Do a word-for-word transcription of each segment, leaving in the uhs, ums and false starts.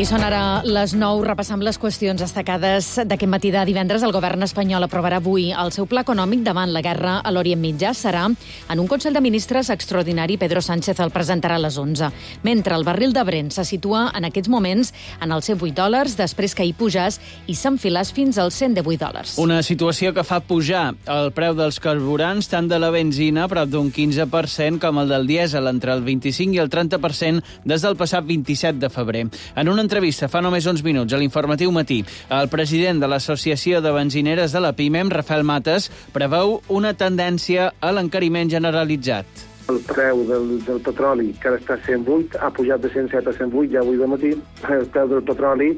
I són ara les nou, repassant les qüestions destacades d'aquest matí de divendres. El govern espanyol aprovarà avui el seu pla econòmic davant la guerra a l'Orient Mitjà. Serà en un Consell de Ministres extraordinari. Pedro Sánchez el presentarà a les onze. Mentre el barril de Brent se situa en aquests moments en els cent vuit dòlars, després que hi pujàs i s'enfilàs fins als cent divuit dòlars. Una situació que fa pujar el preu dels carburants, tant de la benzina, prop d'un quinze per cent, com el del dièsel, entre el vint-i-cinc i el trenta per cent des del passat vint-i-set de febrer. En una entrevista fa només uns minuts a l'Informatiu Matí, el president de l'Associació de Benzineres de la PIMEM, Rafael Mates, preveu una tendència a l'encariment generalitzat. El preu del, del petroli, que ara està a cent vuit, ha pujat de cent set a cent vuit ja avui de matí. El preu del petroli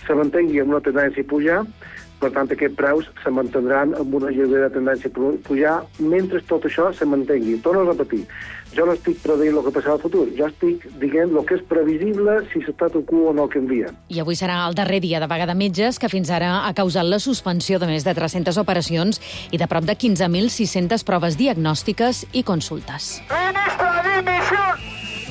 se mantengui amb una tendència a pujar, per tant, aquests preus se mantindran amb una lleugera tendència a pujar mentre tot això se mantengui. Torno a repetir, jo no estic predient el que passarà al futur, jo estic dient el que és previsible si l'statu quo no canvia. I avui serà el darrer dia de vaga de metges, que fins ara ha causat la suspensió de més de tres-centes operacions i de prop de quinze mil sis-centes proves diagnòstiques i consultes. Ministre, dimissió!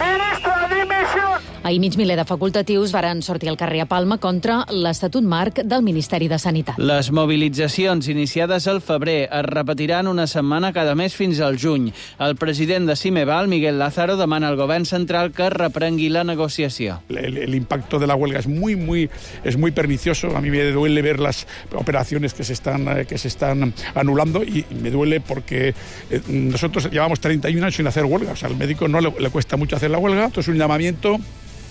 Ministre, dimissió! Ahir mig miler de facultatius varen sortir al carrer a Palma contra l'Estatut Marc del Ministeri de Sanitat. Les mobilitzacions iniciades al febrer es repetiran una setmana cada mes fins al juny. El president de Cimeval, Miguel Lázaro, demana al govern central que reprengui la negociació. El, el impacto de la huelga es muy, muy, es muy pernicioso. A mí me duele ver las operaciones que se están, que se están anulando y me duele porque eh, nosotros llevamos treinta y un años sin hacer huelga. O sea, al médico no le, le cuesta mucho hacer la huelga. Esto es un llamamiento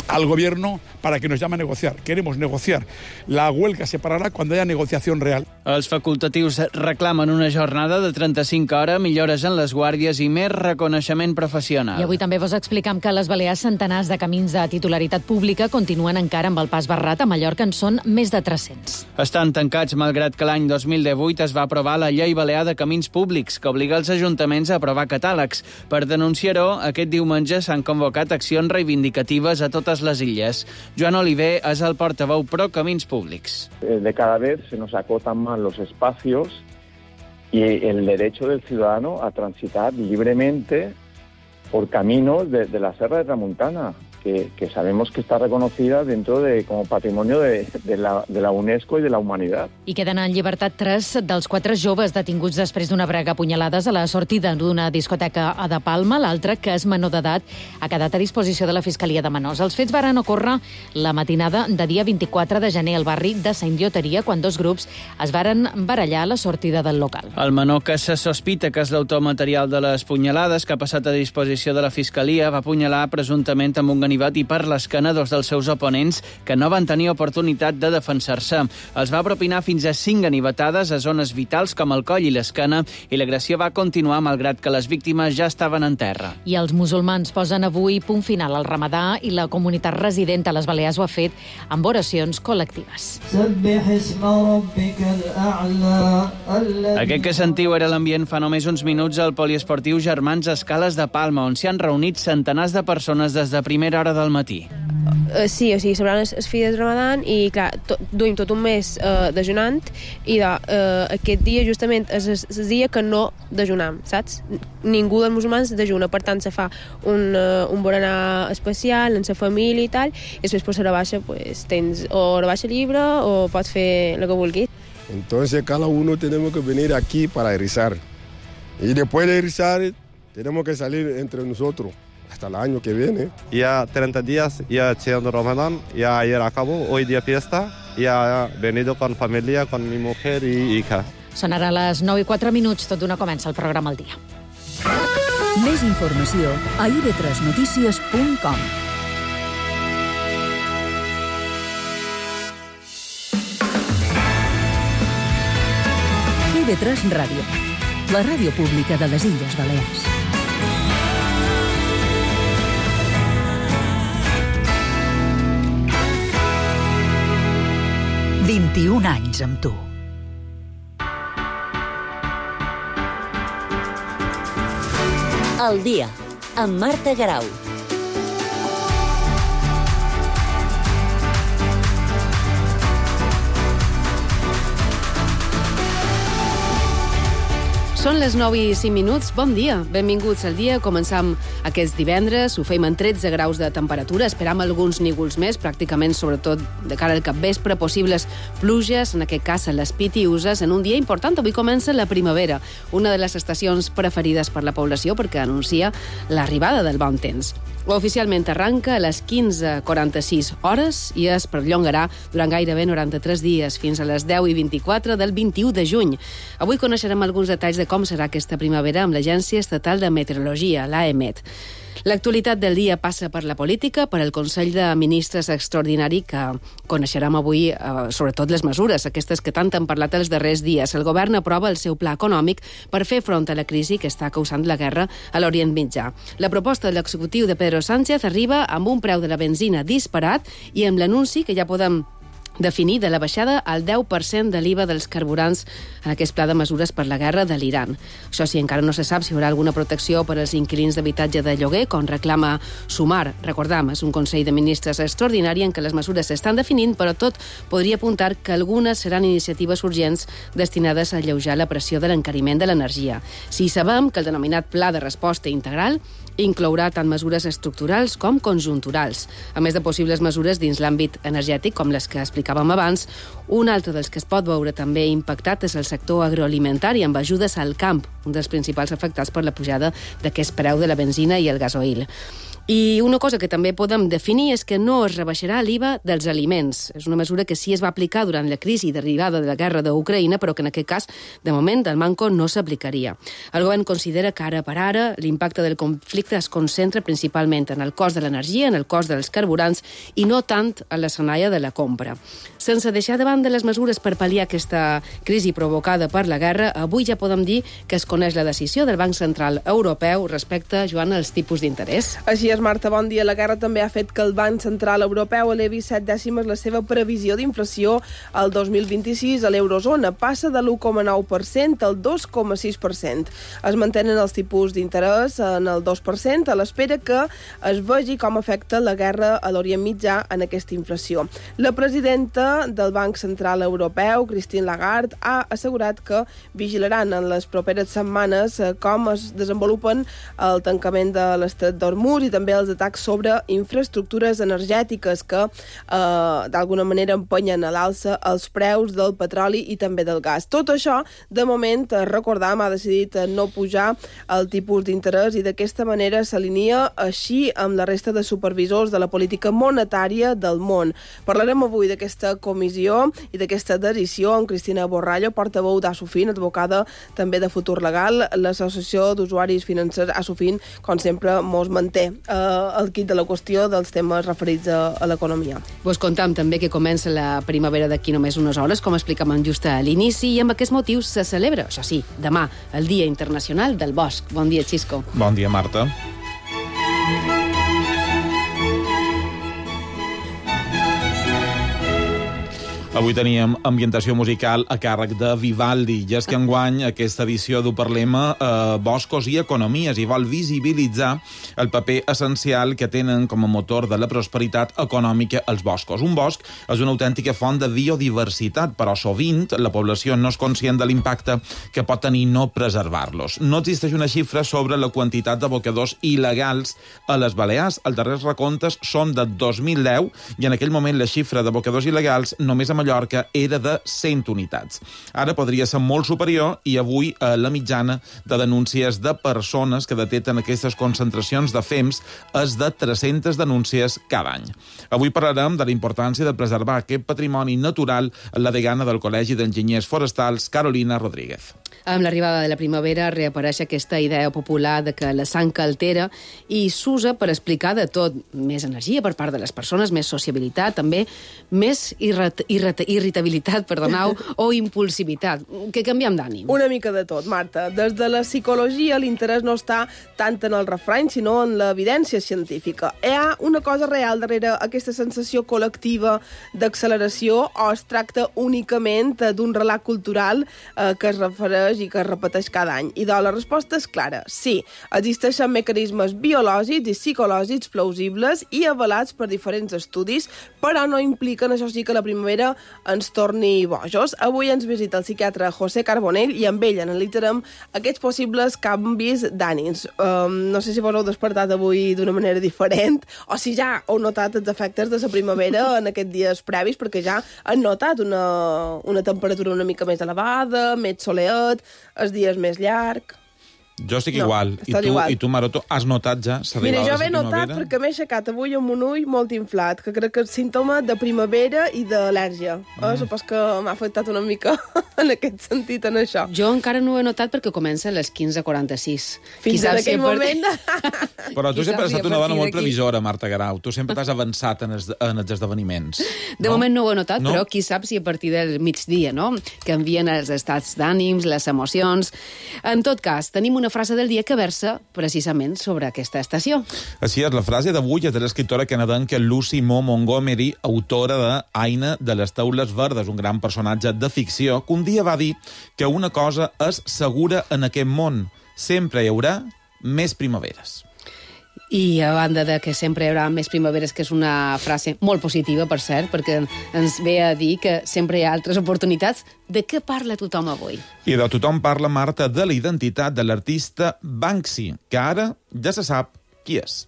al gobierno para que nos llame a negociar. Queremos negociar. La huelga se pararà quan hi ha negociació real. Els facultatius reclamen una jornada de trenta-cinc hores, millores en les guàrdies i més reconeixement professional. I avui també vos explicam que a les Balears centenars de camins de titularitat pública continuen encara amb el pas barrat. A Mallorca en són més de tres-cents. Estan tancats malgrat que l'any dos mil divuit es va aprovar la Llei Balear de Camins Públics, que obliga els ajuntaments a aprovar catàlegs. Per denunciar-ho, aquest diumenge s'han convocat accions reivindicatives a totes les illes. Joan Oliver és el portaveu pro Camins Públics. De cada vez se nos acotan más los espacios y el derecho del ciudadano a transitar libremente por caminos de, de la Serra de Tramuntana, que, que sabemos que está reconocida dentro de como patrimonio de, de, la, de la UNESCO y de la humanidad. I queden en llibertat tres dels quatre joves detinguts després d'una brega a punyalades a la sortida d'una discoteca a De Palma. L'altre, que és menor d'edat, ha quedat a disposició de la Fiscalia de Menors. Els fets varen ocórrer la matinada de dia vint-i-quatre de gener al barri de Sant Lloteria, quan dos grups es varen barallar a la sortida del local. El menor, que se sospita que és l'autor material de les punyalades, que ha passat a disposició de la Fiscalia, va apunyalar presumptament amb un ganivet i per l'esquena dos dels seus oponents que no van tenir oportunitat de defensar-se. Els va propinar fins a cinc ganivetades a zones vitals com el coll i l'esquena, i l'agressió va continuar malgrat que les víctimes ja estaven en terra. I els musulmans posen avui punt final al Ramadà i la comunitat resident a les Balears ho ha fet amb oracions col·lectives. Aquest que sentiu era l'ambient fa només uns minuts al poliesportiu Germans Escales de Palma, on s'hi han reunit centenars de persones des de primera hora del matí. Uh, sí, o sigui, celebrant les fides de Ramadan i, clar, to, duim tot un mes uh, dejunant i de, uh, aquest dia justament és el dia que no dejunam, saps? Ningú dels musulmans dejuna, per tant se fa un, uh, un berenar especial en la família i tal, i després per la baixa pues, tens o la baixa llibre o pots fer el que vulguis. Entonces cada uno tenemos que venir aquí para rezar y después de rezar tenemos que salir entre nosotros hasta el año que viene. Ya treinta días ya haciendo Ramadán, ya ayer acabó, hoy día fiesta, ya he venido con familia, con mi mujer y hija. Són ara les nou i quatre minuts, tot d'una comença el programa al dia. Més informació a i ve tres notícies punt com. i ve tres Ràdio, la ràdio pública de les Illes Balears. vint-i-un anys amb tu. El dia, amb Marta Garau. Són les nou i cinc minuts. Bon dia. Benvinguts al dia. Començam aquest divendres. Ho feim en tretze graus de temperatura. Esperam alguns nígols més, pràcticament, sobretot de cara al capvespre, possibles pluges, en aquest cas a les Pitiüses, en un dia important. Avui comença la primavera, una de les estacions preferides per la població perquè anuncia l'arribada del bon temps. Oficialment arranca a les quinze quaranta-sis hores i es perllongarà durant gairebé noranta-tres dies, fins a les deu i vint-i-quatre del vint-i-u de juny. Avui coneixerem alguns detalls de com serà aquesta primavera amb l'Agència Estatal de Meteorologia, l'AEMET. L'actualitat del dia passa per la política, per el Consell de Ministres extraordinari, que coneixerem avui, eh, sobretot les mesures, aquestes que tant han parlat els darrers dies. El govern aprova el seu pla econòmic per fer front a la crisi que està causant la guerra a l'Orient Mitjà. La proposta de l'executiu de Pedro Sánchez arriba amb un preu de la benzina disparat i amb l'anunci que ja podem definir de la baixada al deu per cent de l'I V A dels carburants en aquest pla de mesures per la guerra de l'Iran. Això sí, encara no se sap si hi haurà alguna protecció per als inquilins d'habitatge de lloguer, com reclama Sumar. Recordam, és un Consell de Ministres extraordinari en què les mesures s'estan definint, però tot podria apuntar que algunes seran iniciatives urgents destinades a alleujar la pressió de l'encariment de l'energia. Si sabem que el denominat Pla de Resposta Integral inclourà tant mesures estructurals com conjunturals, a més de possibles mesures dins l'àmbit energètic, com les que explicàvem abans. Un altre dels que es pot veure també impactat és el sector agroalimentari, amb ajudes al camp, un dels principals afectats per la pujada d'aquest preu de la benzina i el gasoil. I una cosa que també podem definir és que no es rebaixarà l'I V A dels aliments. És una mesura que sí es va aplicar durant la crisi derivada de la guerra d'Ucraïna, però que en aquest cas, de moment, el manco no s'aplicaria. El govern considera que ara per ara l'impacte del conflicte es concentra principalment en el cost de l'energia, en el cost dels carburants i no tant en l'escenari de la compra. Sense deixar de banda les mesures per pal·liar aquesta crisi provocada per la guerra, avui ja podem dir que es coneix la decisió del Banc Central Europeu respecte, Joan, als tipus d'interès. Així és, Marta, bon dia. La guerra també ha fet que el Banc Central Europeu elevi set dècimes la seva previsió d'inflació al dos mil vint-i-sis a l'eurozona. Passa de l'u coma nou per cent al dos coma sis per cent. Es mantenen els tipus d'interès en el dos per cent a l'espera que es vegi com afecta la guerra a l'Orient Mitjà en aquesta inflació. La presidenta del Banc Central Europeu, Christine Lagarde, ha assegurat que vigilaran en les properes setmanes com es desenvolupen el tancament de l'estret d'Hormuz i també els atacs sobre infraestructures energètiques que eh, d'alguna manera empenyen a l'alça els preus del petroli i també del gas. Tot això, de moment, recordam, ha decidit no pujar el tipus d'interès i d'aquesta manera s'alinea així amb la resta de supervisors de la política monetària del món. Parlarem avui d'aquesta comissió i d'aquesta decisió amb Cristina Borrallo, portaveu d'Asofin, advocada també de Futur Legal. L'Associació d'Usuaris Financers Asofin, com sempre, mos manté el quid de la qüestió dels temes referits a, a l'economia. Vos contam també que comença la primavera d'aquí només unes hores, com explicàvem just a l'inici, i amb aquest motiu se celebra, això sí, demà, el Dia Internacional del Bosc. Bon dia, Xisco. Bon dia, Marta. Avui teníem ambientació musical a càrrec de Vivaldi, i és que enguany aquesta edició du Parlem eh, Boscos i Economies i vol visibilitzar el paper essencial que tenen com a motor de la prosperitat econòmica els boscos. Un bosc és una autèntica font de biodiversitat, però sovint la població no és conscient de l'impacte que pot tenir no preservar-los. No existeix una xifra sobre la quantitat d'abocadors il·legals a les Balears. Els darrers recomptes són de dos mil deu i en aquell moment la xifra d'abocadors il·legals només a Mallorca era de cent unitats. Ara podria ser molt superior i avui eh, la mitjana de denúncies de persones que detecten aquestes concentracions de fems és de tres-centes denúncies cada any. Avui parlarem de la importància de preservar aquest patrimoni natural en la degana del Col·legi d'Enginyers Forestals, Carolina Rodríguez. Amb l'arribada de la primavera reapareix aquesta idea popular de que la sang altera i s'usa per explicar de tot. Més energia per part de les persones, més sociabilitat, també més irrat irrat irritabilitat, perdoneu, o impulsivitat. Que canviem d'ànim. Una mica de tot, Marta. Des de la psicologia l'interès no està tant en el refrany, sinó en l'evidència científica. Hi ha una cosa real darrere aquesta sensació col·lectiva d'acceleració o es tracta únicament d'un relat cultural eh, que es refereix i que es repeteix cada any. I doncs la resposta és clara. Sí, existeixen mecanismes biològics i psicològics plausibles i avalats per diferents estudis, però no impliquen, això sí, que la primavera ens torni bojos. Avui ens visita el psiquiatre José Carbonell i amb ell analitzarem aquests possibles canvis d'ànims. Um, no sé si vos heu despertat avui d'una manera diferent o si ja heu notat els efectes de la primavera en aquests dies previs, perquè ja han notat una, una temperatura una mica més elevada, més soleat, els dies més llargs. Jo estic no, igual. I tu, igual. I tu, Maroto, has notat ja? Mira, jo he notat perquè m'he aixecat avui amb un ull molt inflat, que crec que és símptoma de primavera i d'al·lèrgia. Mm. Eh? Supos que m'ha afectat una mica en aquest sentit, en això. Jo encara no ho he notat perquè comença a les quinze quaranta-sis. Fins en aquell moment... Però tu sempre has estat una dona molt previsora, Marta Guerau. Tu sempre t'has avançat en, es, en els esdeveniments. De no? moment no ho he notat, no? Però qui sap si a partir del migdia, no?, canvien els estats d'ànims, les emocions... En tot cas, tenim una frase del dia que versa precisament sobre aquesta estació. Així és, la frase d'avui és de l'escriptora canadenca Lucy Mo Montgomery, autora de Aina de les taules verdes, un gran personatge de ficció, que un dia va dir que una cosa és segura en aquest món: sempre hi haurà més primaveres. I a banda de que sempre hi haurà més primaveres, que és una frase molt positiva, per cert, perquè ens ve a dir que sempre hi ha altres oportunitats, de què parla tothom avui? I de tothom parla, Marta, de la identitat de l'artista Banksy, que ara ja se sap qui és.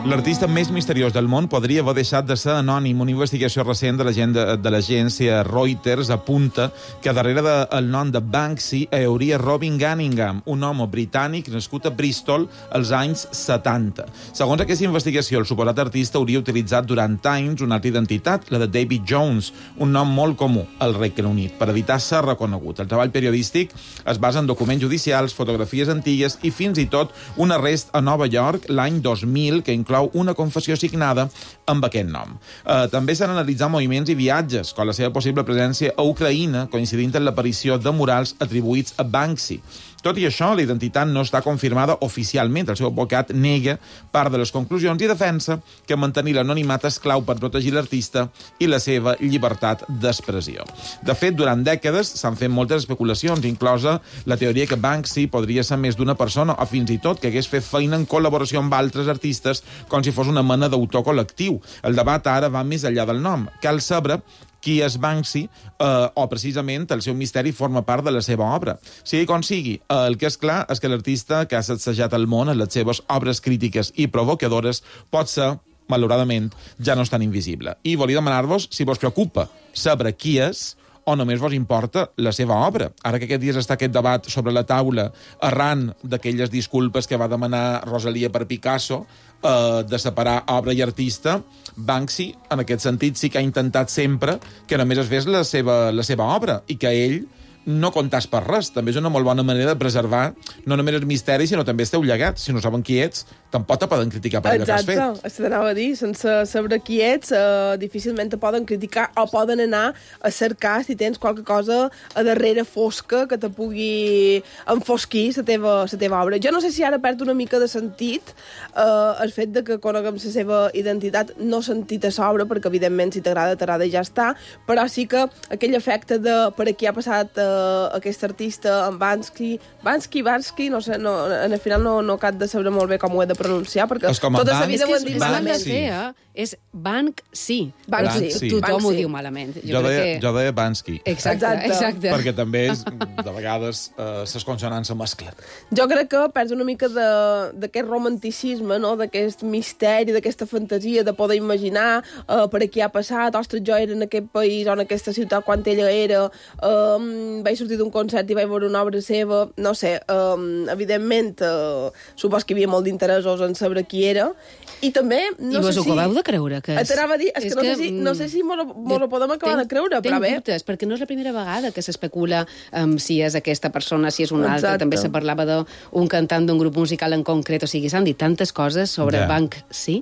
L'artista més misteriós del món podria haver deixat de ser anònim. Una investigació recent de l'agència Reuters apunta que darrere del nom de Banksy hi hauria Robin Cunningham, un home britànic nascut a Bristol als anys setanta. Segons aquesta investigació, el suposat artista hauria utilitzat durant anys una altra identitat, la de David Jones, un nom molt comú al Regne Unit, per evitar ser reconegut. El treball periodístic es basa en documents judicials, fotografies antigues i fins i tot un arrest a Nova York l'any dos mil que inclou una confessió signada amb aquest nom. Eh, també s'han analitzat moviments i viatges, com la seva possible presència a Ucraïna, coincidint amb l'aparició de murals atribuïts a Banksy. Tot i això, la identitat no està confirmada oficialment. El seu advocat nega part de les conclusions i defensa que mantenir l'anonimat és clau per protegir l'artista i la seva llibertat d'expressió. De fet, durant dècades s'han fet moltes especulacions, inclosa la teoria que Banksy podria ser més d'una persona o fins i tot que hagués fet feina en col·laboració amb altres artistes com si fos una mena d'autor col·lectiu. El debat ara va més enllà del nom. Cal saber qui és Banksy, eh, o precisament el seu misteri forma part de la seva obra. Sigui com sigui, eh, el que és clar és que l'artista que ha sacsejat el món en les seves obres crítiques i provocadores pot ser, malauradament, ja no és tan invisible. I volia demanar-vos si vos preocupa saber qui és o només vos importa la seva obra. Ara que aquest dies està aquest debat sobre la taula arran d'aquelles disculpes que va demanar Rosalia per Picasso, eh, de separar obra i artista, Banksy, en aquest sentit, sí que ha intentat sempre que només es fes la seva, la seva obra i que ell no comptàs per res. També és una molt bona manera de preservar no només el misteri, sinó també el teu llegat. Si no saben qui ets, tampoc te poden criticar per allò que has fet. Exacte, això t'anava a dir. Sense saber qui ets, eh, difícilment te poden criticar o poden anar a cercar si tens qualque cosa a darrere fosca que te pugui enfosquir la teva, la teva obra. Jo no sé si ara perd una mica de sentit eh, el fet de que coneguem la seva identitat, no sentit a l'obra, perquè evidentment si t'agrada, t'agrada i ja està, però sí que aquell efecte de per aquí ha passat eh, aquest artista, en Banksy, Banksy, Banksy, no sé, no, en el final no, no cap de saber molt bé com ho he de pronunciar, perquè tota la vida ho hem dit malament. És Banksy. Banksy. Tothom ho diu malament. Jo deia, jo deia Banksy. Exacte, exacte. Perquè també, és, de vegades, eh, les consonants se mesclen. Jo crec que perds una mica d'aquest romanticisme, no? D'aquest misteri, d'aquesta fantasia de poder imaginar eh, per aquí ha passat, ostres, jo era en aquest país o en aquesta ciutat quan ella era, eh, vaig sortir d'un concert i vaig veure una obra seva, no sé, eh, evidentment, eh, supos que hi havia molt d'interessos en saber qui era, i també, no I sé si... I vos ho acabeu de creure? Que és... T'anava a dir, és, és que, no, que sé si, no sé si mos ho podem acabar ten, de creure, però bé. Tenc dubtes, perquè no és la primera vegada que s'especula um, si és aquesta persona, si és una altra. Exacte. També se parlava d'un cantant d'un grup musical en concret, o sigui, s'han dit tantes coses sobre ja. Banksy.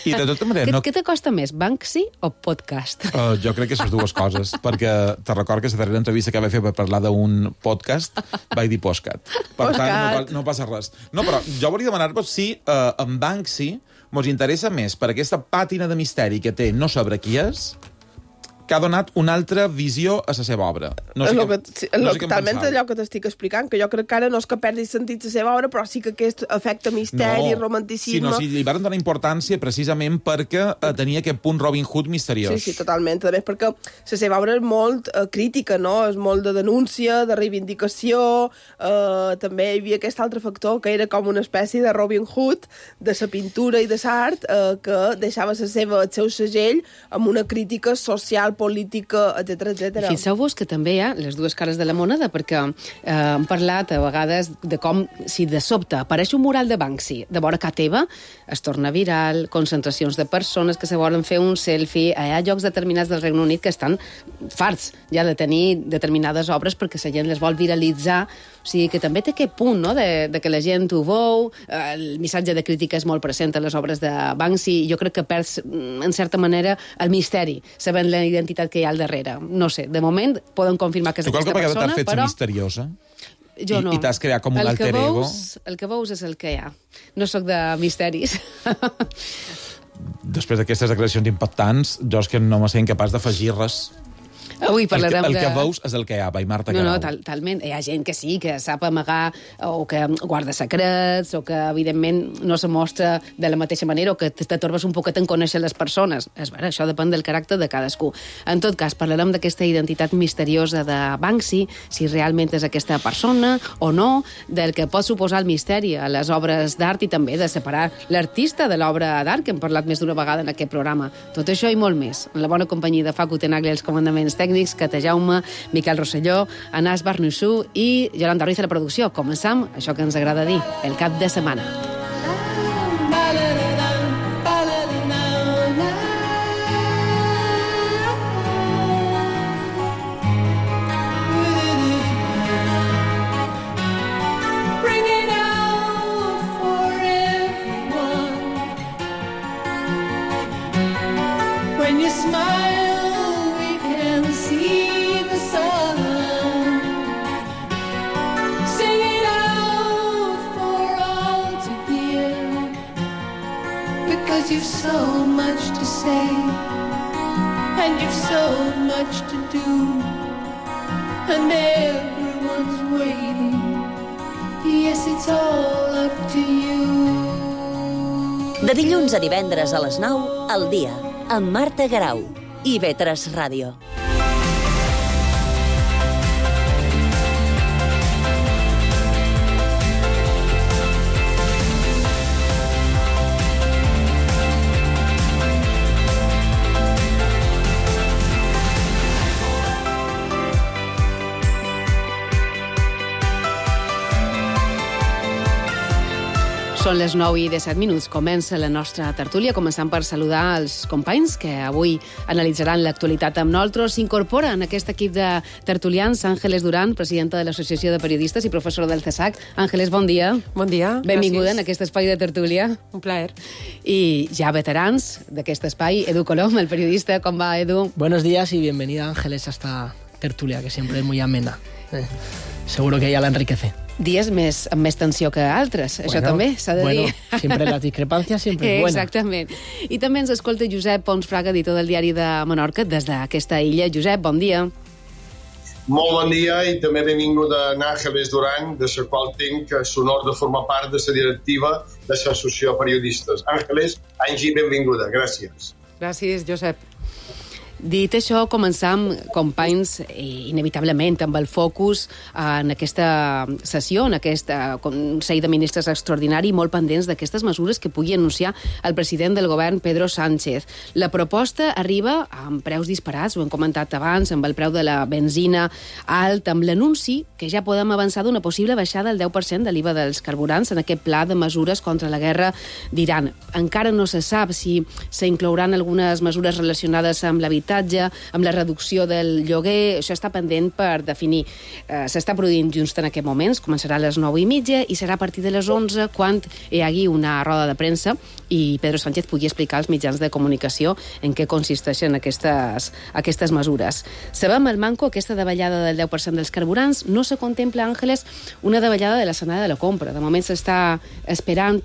I de tota manera... Què, no... què t'acosta més, Banksy o podcast? Uh, jo crec que són dues coses, perquè te recordo que la darrera entrevista que vaig fer per parlar d'un podcast vaig dir postcat. Per tant, no, no passa res. No, però jo volia demanar-vos si uh, en Banksy mos interessa més per aquesta pàtina de misteri que té no saber qui és, que ha donat una altra visió a la seva obra. No sé és què, que, sí, no lo, sé què talment allò que t'estic explicant, que jo crec que ara no és que perdi sentit la seva obra, però sí que aquest efecte misteri, no, romanticisme... sinó si li van donar importància precisament perquè eh, tenia aquest punt Robin Hood misteriós. Sí, sí, totalment. A més, perquè la seva obra és molt eh, crítica, no? És molt de denúncia, de reivindicació, eh, també hi havia aquest altre factor que era com una espècie de Robin Hood de la pintura i de l'art, eh, que deixava la seva, el seu segell amb una crítica social, política, etcètera, etcètera. Fixeu-vos que també hi ha les dues cares de la moneda, perquè eh, hem parlat a vegades de com, si de sobte apareix un mural de Banksy de vora casa teva, es torna viral, concentracions de persones que se volen fer un selfie, hi ha llocs determinats del Regne Unit que estan farts ja de tenir determinades obres perquè la gent les vol viralitzar. O sigui que també té aquest punt, no?, de, de que la gent ho veu, el missatge de crítica és molt present a les obres de Banksy, i jo crec que perds, en certa manera, el misteri, sabent la identitat que hi ha al darrere. No sé, de moment poden confirmar que és tu aquesta persona, persona, t'has fet però... misteriosa? Jo I, no. I t'has creat com un el alter ego? Veus, el que veus és el que hi ha. No sóc de misteris. Després d'aquestes declaracions impactants, jo és que no me sé incapaç d'afegir res. Avui parlarem el que, el de... que veus és el que hi ha, i Marta No, Garau. no, tal, talment. Hi ha gent que sí, que sap amagar, o que guarda secrets, o que, evidentment, no se mostra de la mateixa manera, o que t'atorbes un poquet en conèixer les persones. És vera, això depèn del caràcter de cadascú. En tot cas, parlarem d'aquesta identitat misteriosa de Banksy, si realment és aquesta persona o no, del que pot suposar el misteri a les obres d'art i també de separar l'artista de l'obra d'art, que hem parlat més d'una vegada en aquest programa. Tot això i molt més. En la bona companyia de Facu Tenaglia, els comandaments tècnics, Cata Jaume, Miquel Rosselló, Anas Barnussú i Yolanda Ruiz a la producció. Començam això que ens agrada dir, el cap de setmana. You've so much to say, and you've so much to do, and everyone's waiting. Yes, it's all up to you. De dilluns a divendres a les nou, al dia, amb Marta Garau i I V tres Ràdio. Són les nou i disset minuts. Comença la nostra tertúlia, començant per saludar els companys que avui analitzaran l'actualitat amb nosaltres. S'incorpora en aquest equip de tertulians Àngeles Duran, presidenta de l'Associació de Periodistes i professora del CESAC. Àngeles, bon dia. Bon dia. Benvinguda Gràcies. en aquest espai de tertúlia. Un plaer. I ja veterans d'aquest espai, Edu Colom, el periodista. Com va, Edu? Buenos días y bienvenida, Ángeles, a esta tertulia, que siempre es muy amena. Eh, seguro que ella la enriquece. Dies més, amb més tensió que altres, bueno, això també s'ha de bueno, dir. Siempre la discrepancia siempre es buena. Exactament. I també ens escolta Josep Pons Fraga, editor del Diari de Menorca, des d'aquesta illa. Josep, bon dia. Molt bon dia i també benvinguda Àngeles Duran, de la qual tinc l'honor de formar part de la directiva de l'Associació de Periodistes. Àngeles, Angie, benvinguda. Gràcies. Gràcies, Josep. Dit això, començam, companys, inevitablement amb el focus en aquesta sessió, en aquest Consell de Ministres extraordinari, molt pendents d'aquestes mesures que pugui anunciar el president del govern, Pedro Sánchez. La proposta arriba amb preus disparats, ho hem comentat abans, amb el preu de la benzina alt, amb l'anunci que ja podem avançar d'una possible baixada del deu per cent de l'I V A dels carburants en aquest pla de mesures contra la guerra d'Iran. Encara no se sap si s'inclouran algunes mesures relacionades amb l'habitatge, amb la reducció del lloguer, això està pendent per definir. Eh, s'està produint just en aquest moments, començarà a les nou i mitja i serà a partir de les onze quan hi hagi una roda de premsa i Pedro Sánchez pugui explicar als mitjans de comunicació en què consisteixen aquestes, aquestes mesures. Sabem el manco, aquesta davallada del deu per cent dels carburants, no se contempla, Àngeles, una davallada de la setmana de la compra. De moment s'està esperant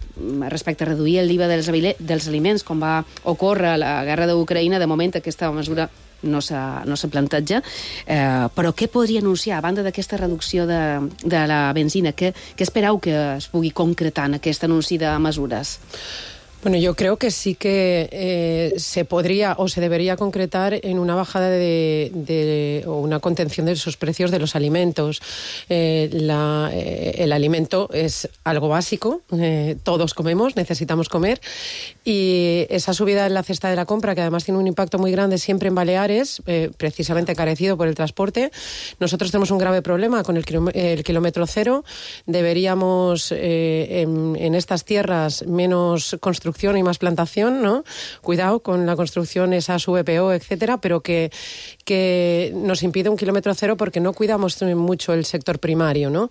respecte a reduir el I V A dels, dels aliments, com va ocórrer a la guerra d'Ucraïna. De moment aquesta mesura mesura no s'ha no s'ha planteja, eh, però què podria anunciar, a banda d'aquesta reducció de, de la benzina? Què, què espereu que es pugui concretar en aquest anunci de mesures? Bueno, yo creo que sí que eh, se podría o se debería concretar en una bajada de, de o una contención de esos precios de los alimentos. Eh, la, eh, el alimento es algo básico, eh, todos comemos, necesitamos comer, y esa subida en la cesta de la compra, que además tiene un impacto muy grande siempre en Baleares, eh, precisamente encarecido por el transporte. Nosotros tenemos un grave problema con el, kiló- el kilómetro cero. Deberíamos eh, en, en estas tierras menos construcción y más plantación, ¿no? Cuidado con la construcción, esas V P O, etcétera, pero que, que nos impide un kilómetro cero porque no cuidamos mucho el sector primario, ¿no?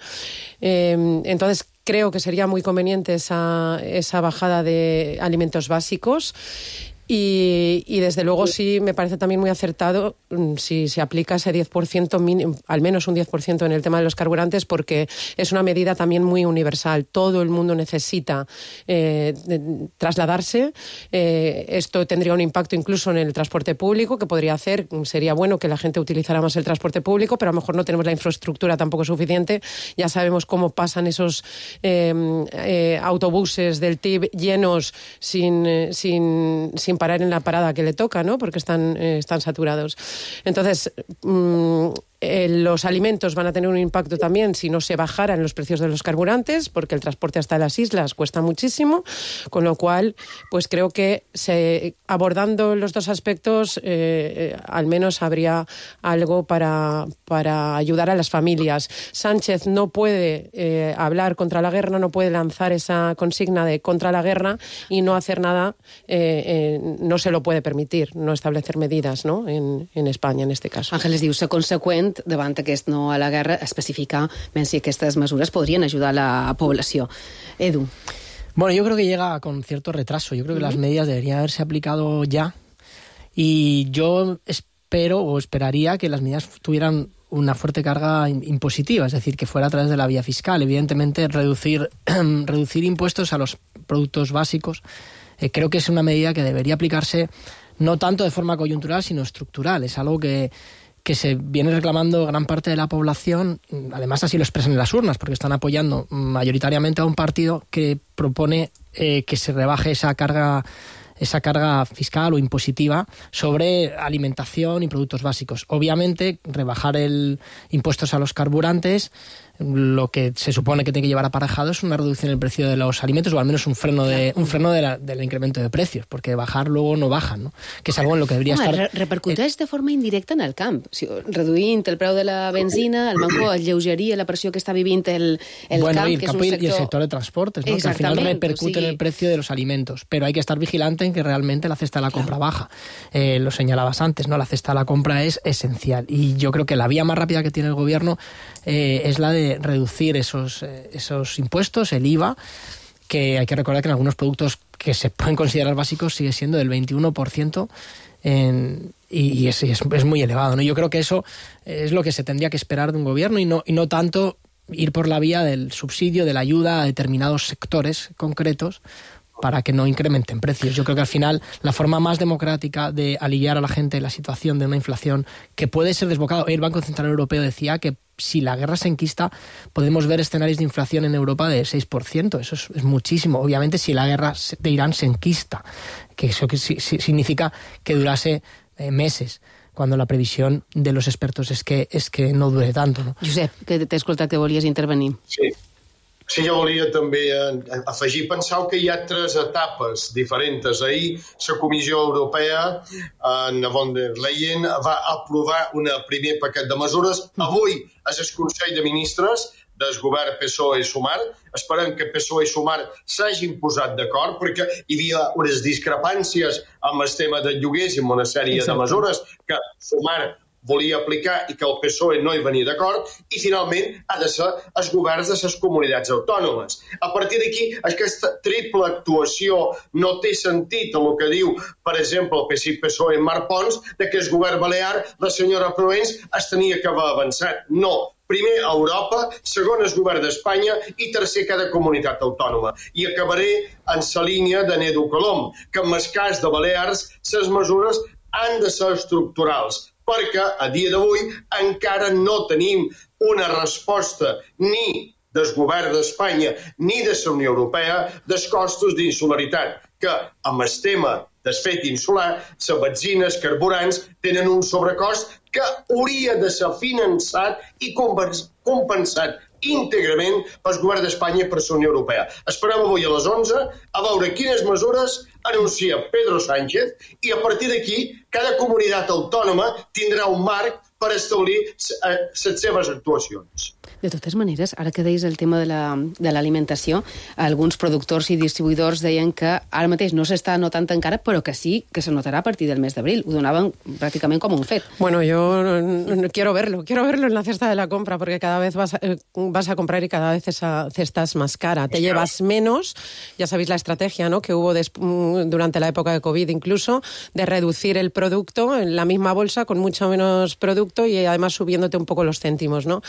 Eh, entonces, creo que sería muy conveniente esa, esa bajada de alimentos básicos. Y, y desde luego sí me parece también muy acertado si se aplica ese diez por ciento, mínimo, al menos un diez por ciento en el tema de los carburantes, porque es una medida también muy universal. Todo el mundo necesita eh, de, trasladarse. Eh, esto tendría un impacto incluso en el transporte público, que podría hacer, sería bueno que la gente utilizara más el transporte público, pero a lo mejor no tenemos la infraestructura tampoco suficiente. Ya sabemos cómo pasan esos eh, eh, autobuses del T I B llenos sin, eh, sin, sin parar en la parada que le toca, ¿no? Porque están, eh, están saturados. Entonces, mmm, eh, los alimentos van a tener un impacto también si no se bajaran los precios de los carburantes, porque el transporte hasta las islas cuesta muchísimo, con lo cual, pues creo que se, abordando los dos aspectos, eh, eh, al menos habría algo para, para ayudar a las familias. Sánchez no puede eh, hablar contra la guerra, no puede lanzar esa consigna de contra la guerra y no hacer nada, eh, eh, no se lo puede permitir, no establecer medidas, ¿no? en, en Espanya, en este caso. Ángeles diu, ser conseqüent davant aquest no a la guerra, especificar ben si aquestes mesures podrien ajudar la població. Edu. Bueno, yo creo que llega con cierto retraso. Yo creo que uh-huh. las medidas deberían haberse aplicado ya, y yo espero o esperaría que las medidas tuvieran una fuerte carga impositiva, es decir, que fuera a través de la vía fiscal. Evidentemente, reducir, reducir impuestos a los productos básicos eh, creo que es una medida que debería aplicarse no tanto de forma coyuntural, sino estructural. Es algo que, que se viene reclamando gran parte de la población, además así lo expresan en las urnas, porque están apoyando mayoritariamente a un partido que propone eh, que se rebaje esa carga esa carga fiscal o impositiva sobre alimentación y productos básicos. Obviamente, rebajar el impuestos a los carburantes, lo que se supone que tiene que llevar aparejado es una reducción del precio de los alimentos, o al menos un freno de un freno de la, del incremento de precios, porque bajar luego no bajan, ¿no? Que és algo en lo que deberia Home, estar... Re repercuteix de forma indirecta en el camp. Si, reduint el preu de la benzina, el banco alleugeria la pressió que està vivint el, el bueno, camp, y el que campo és un y sector... el sector de transportes, ¿no? Que al final repercute o sigui... en el precio de los alimentos, pero hay que estar vigilante en que realmente la cesta de la compra claro. baja. Eh, lo señalabas antes, ¿no? La cesta de la compra es esencial, y yo creo que la vía más rápida que tiene el gobierno eh, es la de reducir esos, eh, esos impuestos, el I V A, que hay que recordar que en algunos productos que se pueden considerar básicos sigue siendo del veintiuno por ciento en, y, y es, es, es muy elevado, ¿no? Yo creo que eso es lo que se tendría que esperar de un gobierno, y no, y no tanto ir por la vía del subsidio, de la ayuda a determinados sectores concretos para que no incrementen precios. Yo creo que al final la forma más democrática de aliviar a la gente la situación de una inflación que puede ser desbocada. El Banco Central Europeo decía que si la guerra se enquista, podemos ver escenarios de inflación en Europa de seis por ciento. Eso es, es muchísimo. Obviamente, si la guerra de Irán se enquista, que eso que, si, si, significa que durase eh, meses, cuando la previsión de los expertos es que, es que no dure tanto, ¿no? Josep, que t'he escoltat que volies intervenir. Sí. Sí, jo volia també afegir, penseu que hi ha tres etapes diferents. Ahir la Comissió Europea, en von der Leyen, va aprovar un primer paquet de mesures. Avui és el Consell de Ministres del govern P S O E i Sumar. Esperem que P S O E i Sumar s'hagin posat d'acord, perquè hi havia unes discrepàncies amb el tema de lloguers i amb una sèrie Exacte. de mesures que Sumar volia aplicar i que el P S O E no hi venia d'acord, i finalment ha de ser els governs de les comunitats autònomes. A partir d'aquí, aquesta triple actuació no té sentit en el que diu, per exemple, el P S I, P S O E en Marc Pons, de que el govern balear, la senyora Provenç, es tenia que haver avançat. No. Primer a Europa, segon el govern d'Espanya i tercer cada comunitat autònoma. I acabaré en la línia de Nedu Colom, que en el cas de Balears, les mesures han de ser estructurals, perquè a dia d'avui encara no tenim una resposta ni del govern d'Espanya ni de la Unió Europea dels costos d'insularitat, que amb el tema del fet insular, les benzines, carburants, tenen un sobrecost que hauria de ser finançat i compensat íntegrament pel govern d'Espanya i per la Unió Europea. Esperem avui a les onze a veure quines mesures anuncia Pedro Sánchez i a partir d'aquí cada comunitat autònoma tindrà un marc per establir les seves actuacions. De totes maneres, ara que deies el tema de l'alimentació, alguns productors i distribuïdors deien que ara mateix no s'està notant encara, però que sí que se notarà a partir del mes d'abril. Ho donaven pràcticament com un fet. Bueno, yo no, quiero verlo, quiero verlo en la cesta de la compra, porque cada vez vas a, vas a comprar y cada vez esa cesta es más cara. Te llevas menos, ya sabéis la estrategia, ¿no?, que hubo des, durante la época de COVID incluso, de reducir el producto en la misma bolsa con mucho menos producto y además subiéndote un poco los céntimos, ¿no?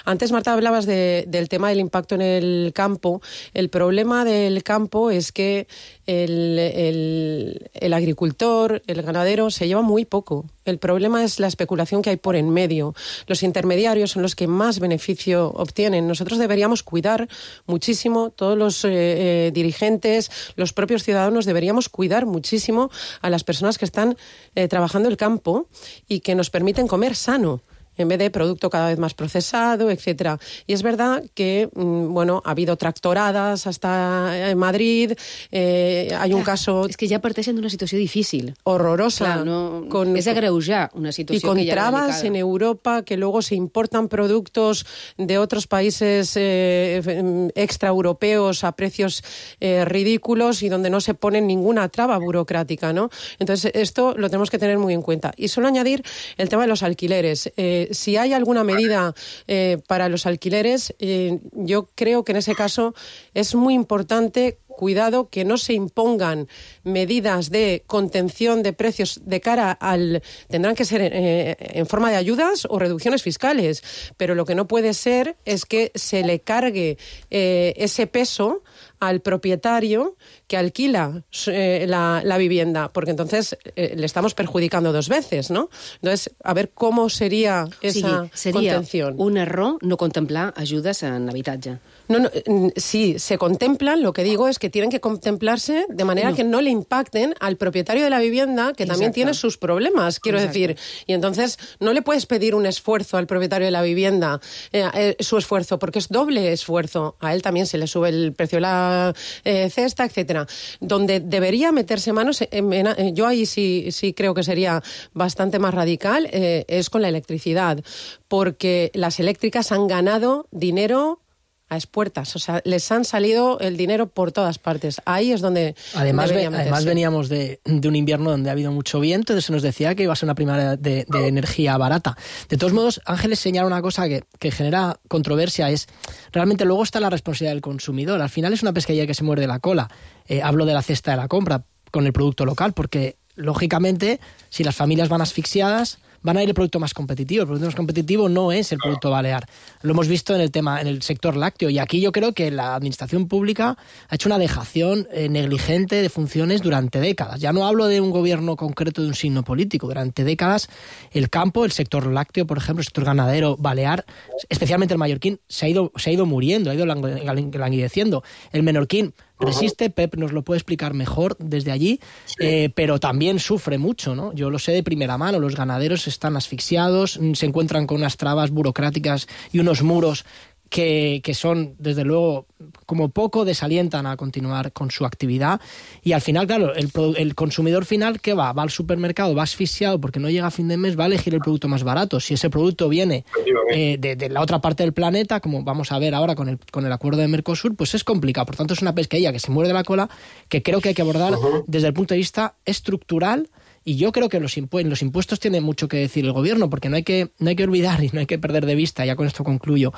Antes, Marta, hablabas de, del tema del impacto en el campo. El problema del campo es que el, el, el agricultor, el ganadero, se lleva muy poco. El problema es la especulación que hay por en medio. Los intermediarios son los que más beneficio obtienen. Nosotros deberíamos cuidar muchísimo, todos los eh, eh, dirigentes, los propios ciudadanos, deberíamos cuidar muchísimo a las personas que están eh, trabajando el campo y que nos permiten comer sano, en vez de producto cada vez más procesado, etcétera. Y es verdad que, bueno, ha habido tractoradas hasta en Madrid, eh, hay un caso... És que ja parteixen d'una situació difícil. Horrorosa. Clar, no, con, és agreujar una situació y con que ya trabas en Europa, que luego se importan productos de otros países eh, extraeuropeos a precios eh, ridículos y donde no se pone ninguna traba burocrática, ¿no? Entonces, esto lo tenemos que tener muy en cuenta. Y solo añadir el tema de los alquileres. Eh, Si hay alguna medida eh, para los alquileres, eh, yo creo que en ese caso es muy importante, cuidado, que no se impongan medidas de contención de precios de cara al... Tendrán que ser eh, en forma de ayudas o reducciones fiscales, pero lo que no puede ser es que se le cargue eh, ese peso al propietario que alquila eh, la, la vivienda, porque entonces eh, le estamos perjudicando dos veces, ¿no? Entonces, a ver cómo sería esa o sigui, seria contención. Un error no contemplar ajudes en habitatge. No, no, sí, se contemplan, lo que digo es que tienen que contemplarse de manera no. que no le impacten al propietario de la vivienda, que Exacto. también tiene sus problemas, quiero Exacto. decir. Y entonces no le puedes pedir un esfuerzo al propietario de la vivienda, eh, eh, su esfuerzo, porque es doble esfuerzo. A él también se le sube el precio de la eh, cesta, etcétera. Donde debería meterse manos, en, en, en, yo ahí sí, sí creo que sería bastante más radical, eh, es con la electricidad, porque las eléctricas han ganado dinero a expuertas, o sea, les han salido el dinero por todas partes. Ahí es donde además, ve, además veníamos de, de un invierno donde ha habido mucho viento, entonces se nos decía que iba a ser una primavera de, de energía barata. De todos modos, Ángeles señala una cosa que, que genera controversia, es realmente luego está la responsabilidad del consumidor. Al final es una pescadilla que se muerde la cola. Eh, hablo de la cesta de la compra con el producto local, porque lógicamente si las familias van asfixiadas, van a ir el producto más competitivo. El producto más competitivo no es el producto balear. Lo hemos visto en el tema, en el sector lácteo. Y aquí yo creo que la administración pública ha hecho una dejación eh, negligente de funciones durante décadas. Ya no hablo de un gobierno concreto de un signo político. Durante décadas el campo, el sector lácteo, por ejemplo, el sector ganadero, balear, especialmente el mallorquín, se ha ido, se ha ido muriendo, ha ido languideciendo. El menorquín resiste, Pep nos lo puede explicar mejor desde allí, sí. eh, pero también sufre mucho, ¿no? Yo lo sé de primera mano, los ganaderos están asfixiados, se encuentran con unas trabas burocráticas y unos muros que, que son, desde luego, como poco desalientan a continuar con su actividad. Y al final, claro, el, el consumidor final, ¿qué va? Va al supermercado, va asfixiado porque no llega a fin de mes, va a elegir el producto más barato. Si ese producto viene eh, de, de la otra parte del planeta, como vamos a ver ahora con el, con el acuerdo de Mercosur, pues es complicado. Por tanto, es una pesquería que se muerde la cola, que creo que hay que abordar uh-huh. desde el punto de vista estructural. Y yo creo que los, impu- los impuestos tienen mucho que decir el gobierno, porque no hay que, no hay que olvidar y no hay que perder de vista, ya con esto concluyo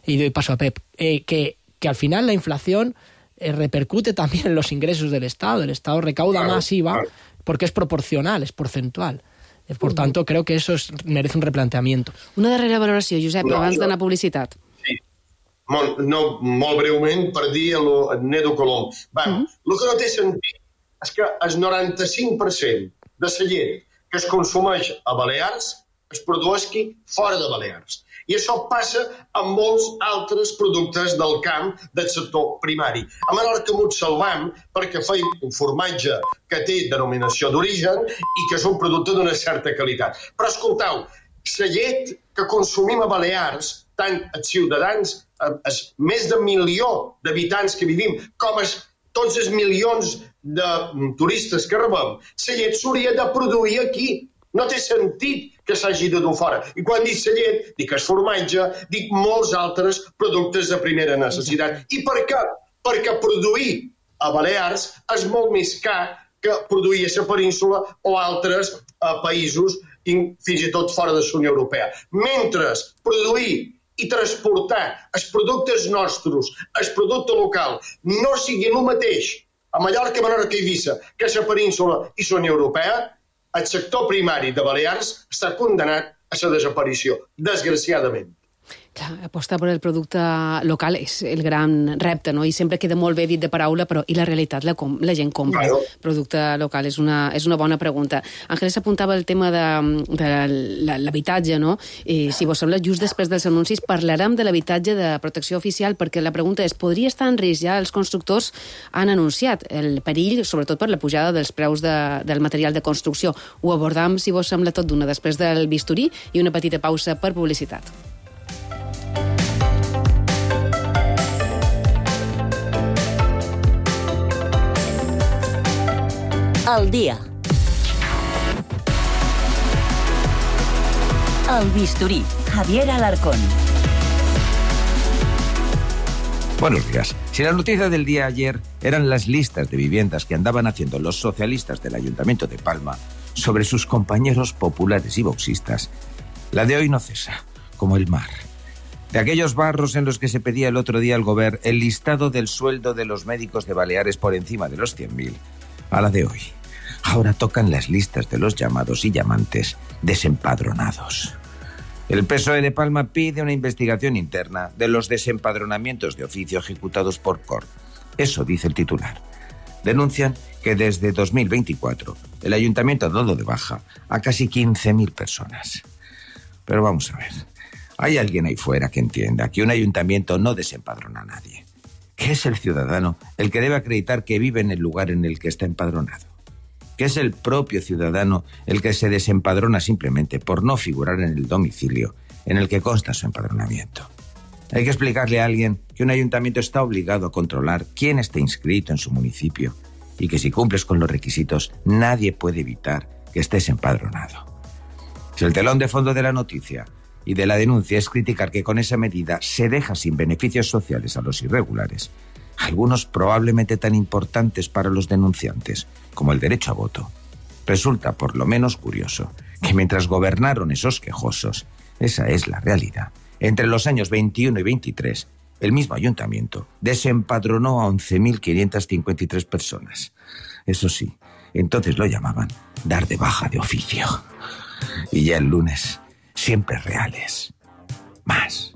y doy paso a Pep, eh, que, que al final la inflación eh, repercute también en los ingresos del Estado. El Estado recauda claro, más I V A claro. porque es proporcional, es porcentual. Eh, por uh-huh. tanto, creo que eso es, merece un replanteamiento. Una darrera valoració, Josep, no, abans no. d'anar a publicitat. Sí. Molt, no, molt breument per dir el Nedo Colom. Va, uh-huh. el que no té sentit és que el noranta-cinc per cent de la llet que es consumeix a Balears es produeixi fora de Balears. I això passa amb molts altres productes del camp del sector primari. A Menorca m'ho salvam perquè feim un formatge que té denominació d'origen i que és un producte d'una certa qualitat. Però escolteu, la llet que consumim a Balears, tant els ciutadans, els més de milió d'habitants que vivim, com els, tots els milions de turistes que rebem, la llet s'hauria de produir aquí. No té sentit que s'hagi de dur fora. I quan dic la llet, dic el formatge, dic molts altres productes de primera necessitat. I per què? Perquè produir a Balears és molt més car que produir a la península o altres eh, països, fins i tot fora de la Unió Europea. Mentre produir i transportar els productes nostres, el producte local, no sigui el mateix a Mallorca, Menorca i Eivissa que a la península i la Unió Europea, el sector primari de Balears està condenat a la desaparició, desgraciadament. Clar, apostar per el producte local és el gran repte, no? I sempre queda molt bé dit de paraula, però i la realitat la, com, la gent compra. Claro. Producte local és una, és una bona pregunta. Àngels apuntava el tema de, de l'habitatge, no? I, si vos sembla, just després dels anuncis parlarem de l'habitatge de protecció oficial, perquè la pregunta és, podria estar en risc? Ja els constructors han anunciat el perill, sobretot per la pujada dels preus de, del material de construcció. Ho abordam, si vos sembla, tot d'una després del bisturí i una petita pausa per publicitat. Al día. El bisturí, Javier Alarcón. Buenos días. Si la noticia del día ayer eran las listas de viviendas que andaban haciendo los socialistas del Ayuntamiento de Palma sobre sus compañeros populares y boxistas, la de hoy no cesa, como el mar. De aquellos barros en los que se pedía el otro día al Govern el listado del sueldo de los médicos de Baleares por encima de los cien mil, a la de hoy. Ahora tocan las listas de los llamados y llamantes desempadronados. El P S O E de Palma pide una investigación interna de los desempadronamientos de oficio ejecutados por C O R. Eso dice el titular. Denuncian que desde dos mil veinticuatro el ayuntamiento ha dado de baja a casi quince mil personas. Pero vamos a ver, ¿hay alguien ahí fuera que entienda que un ayuntamiento no desempadrona a nadie? Que es el ciudadano el que debe acreditar que vive en el lugar en el que está empadronado. Que es el propio ciudadano el que se desempadrona simplemente por no figurar en el domicilio en el que consta su empadronamiento. Hay que explicarle a alguien que un ayuntamiento está obligado a controlar quién está inscrito en su municipio y que si cumples con los requisitos nadie puede evitar que estés empadronado. Si el telón de fondo de la noticia y de la denuncia es criticar que con esa medida se deja sin beneficios sociales a los irregulares, algunos probablemente tan importantes para los denunciantes como el derecho a voto, resulta por lo menos curioso que mientras gobernaron esos quejosos, esa es la realidad, entre los años veintiuno y veintitrés, el mismo ayuntamiento desempadronó a once mil quinientas cincuenta y tres personas. Eso sí, entonces lo llamaban dar de baja de oficio. Y ya el lunes, siempre reales. Más.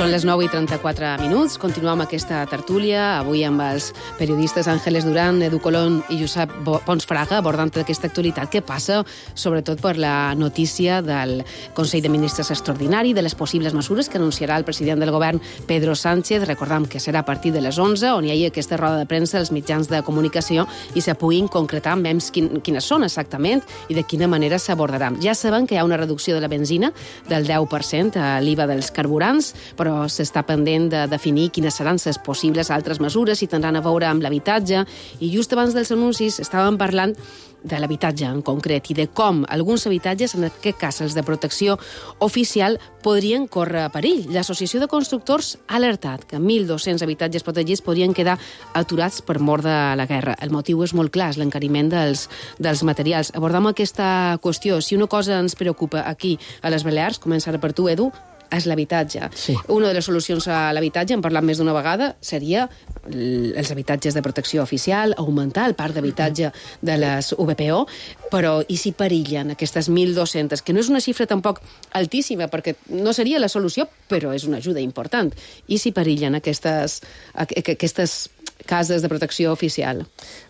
Són les nou i trenta-quatre minuts. Continuem aquesta tertúlia, avui amb els periodistes Ángeles Durán, Edu Colón i Josep Pons Fraga, abordant aquesta actualitat que passa, sobretot per la notícia del Consell de Ministres extraordinari, de les possibles mesures que anunciarà el president del govern, Pedro Sánchez. Recordam que serà a partir de les onze, on hi hagi aquesta roda de premsa als mitjans de comunicació i se puguin concretar amb ells quin, quines són exactament i de quina manera s'abordaran. Ja sabem que hi ha una reducció de la benzina del deu per cent a l'I V A dels carburants, però però s'està pendent de definir quines seran les possibles altres mesures, si tindran a veure amb l'habitatge, i just abans dels anuncis estàvem parlant de l'habitatge en concret i de com alguns habitatges, en aquest cas els de protecció oficial, podrien córrer perill. L'Associació de Constructors ha alertat que mil dos-cents habitatges protegits podrien quedar aturats per mort de la guerra. El motiu és molt clar, és l'encariment dels, dels materials. Abordam aquesta qüestió. Si una cosa ens preocupa aquí a les Balears, començar per tu, Edu, és l'habitatge. Sí. Una de les solucions a l'habitatge, hem parlat més d'una vegada, seria els habitatges de protecció oficial, augmentar el parc d'habitatge de les U B P O, però i si perillen aquestes mil dos-cents, que no és una xifra tampoc altíssima, perquè no seria la solució, però és una ajuda important. I si perillen aquestes, aquestes cases de protecció oficial?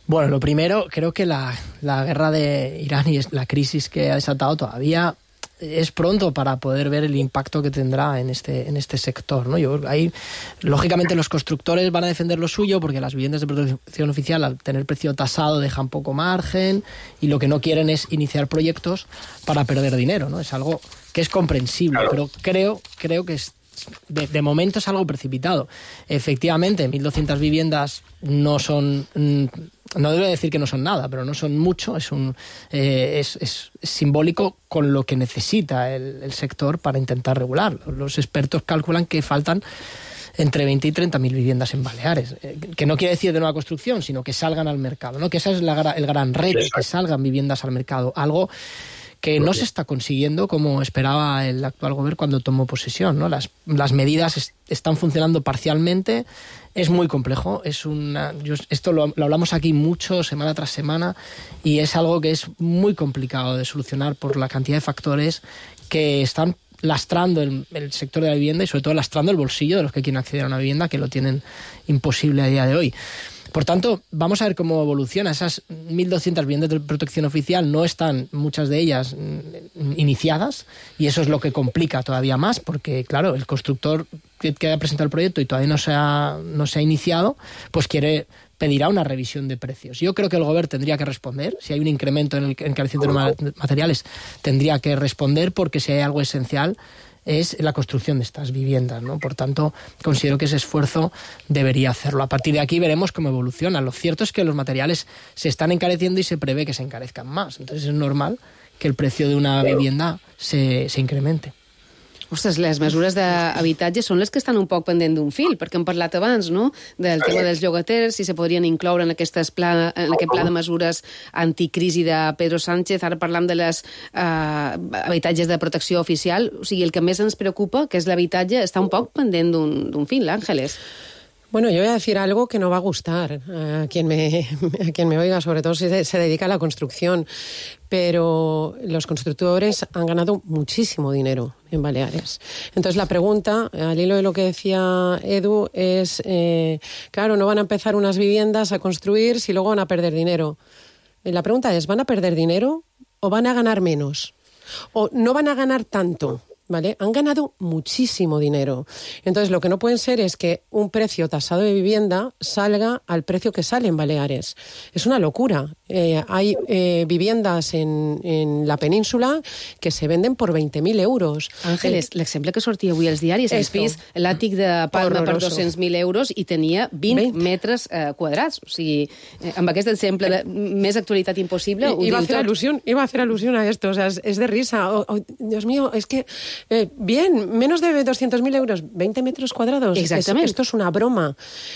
Bueno, lo primero, creo que la, la guerra de Irán y la crisis que ha desatado todavía es pronto para poder ver el impacto que tendrá en este, en este sector, ¿no? Yo, ahí, lógicamente, los constructores van a defender lo suyo porque las viviendas de protección oficial, al tener precio tasado, dejan poco margen y lo que no quieren es iniciar proyectos para perder dinero, ¿no? Es algo que es comprensible, claro. Pero creo, creo que es, de, de momento es algo precipitado. Efectivamente, mil doscientas viviendas no son... No debo decir que no son nada, pero no son mucho, es, un, eh, es, es simbólico con lo que necesita el, el sector para intentar regularlo. Los expertos calculan que faltan entre veinte y treinta mil viviendas en Baleares, eh, que no quiere decir de nueva construcción, sino que salgan al mercado, ¿no? Que ese es la, el gran reto, Exacto. Que salgan viviendas al mercado, algo que no se está consiguiendo como esperaba el actual gobierno cuando tomó posesión, ¿no? Las, las medidas es, están funcionando parcialmente. Es muy complejo, es una, yo, esto lo, lo hablamos aquí mucho, semana tras semana, y es algo que es muy complicado de solucionar por la cantidad de factores que están lastrando el, el sector de la vivienda y sobre todo lastrando el bolsillo de los que quieren acceder a una vivienda, que lo tienen imposible a día de hoy. Por tanto, vamos a ver cómo evoluciona. Esas mil doscientas viviendas de protección oficial no están, muchas de ellas, iniciadas, y eso es lo que complica todavía más, porque, claro, el constructor que, que ha presentado el proyecto y todavía no se ha, no se ha iniciado, pues quiere pedirá una revisión de precios. Yo creo que el Gobierno tendría que responder. Si hay un incremento en el encarecimiento de materiales, tendría que responder, porque si hay algo esencial es la construcción de estas viviendas, ¿no? Por tanto, considero que ese esfuerzo debería hacerlo. A partir de aquí veremos cómo evoluciona. Lo cierto es que los materiales se están encareciendo y se prevé que se encarezcan más. Entonces es normal que el precio de una vivienda se, se incremente. Ostres, les mesures d'habitatge són les que estan un poc pendent d'un fil, perquè hem parlat abans, no?, del tema dels llogaters, si se podrien incloure en, pla, en aquest pla de mesures anticrisi de Pedro Sánchez. Ara parlam de les eh, habitatges de protecció oficial. O sigui, el que més ens preocupa, que és l'habitatge, està un poc pendent d'un fil, Ángeles. Bueno, yo voy a decir algo que no va a gustar a quien me, a quien me oiga, sobre todo si se dedica a la construcción, pero los constructores han ganado muchísimo dinero en Baleares. Entonces la pregunta, al hilo de lo que decía Edu, es, eh, claro, no van a empezar unas viviendas a construir si luego van a perder dinero. La pregunta es, ¿van a perder dinero o van a ganar menos? ¿O no van a ganar tanto? ¿Vale? Han ganado muchísimo dinero. Entonces, lo que no pueden ser es que un precio tasado de vivienda salga al precio que sale en Baleares. Es una locura. Eh, hay eh, viviendas en, en la península que se venden por veinte mil euros. Àngeles, eh, l'exemple que sortia avui als diaris, el pis, l'àtic de Palma per dos-cents mil euros i tenia vint, vint. metres eh, quadrats. O sigui, eh, amb aquest exemple de més actualitat impossible, ho iba diu a hacer tot. Alusión, iba a hacer alusión a esto. O sea, es, es de risa. Oh, oh, Dios mío, es que Eh, bien, menos de doscientos mil euros, veinte metros cuadrados. Exactament. Es, esto es una broma.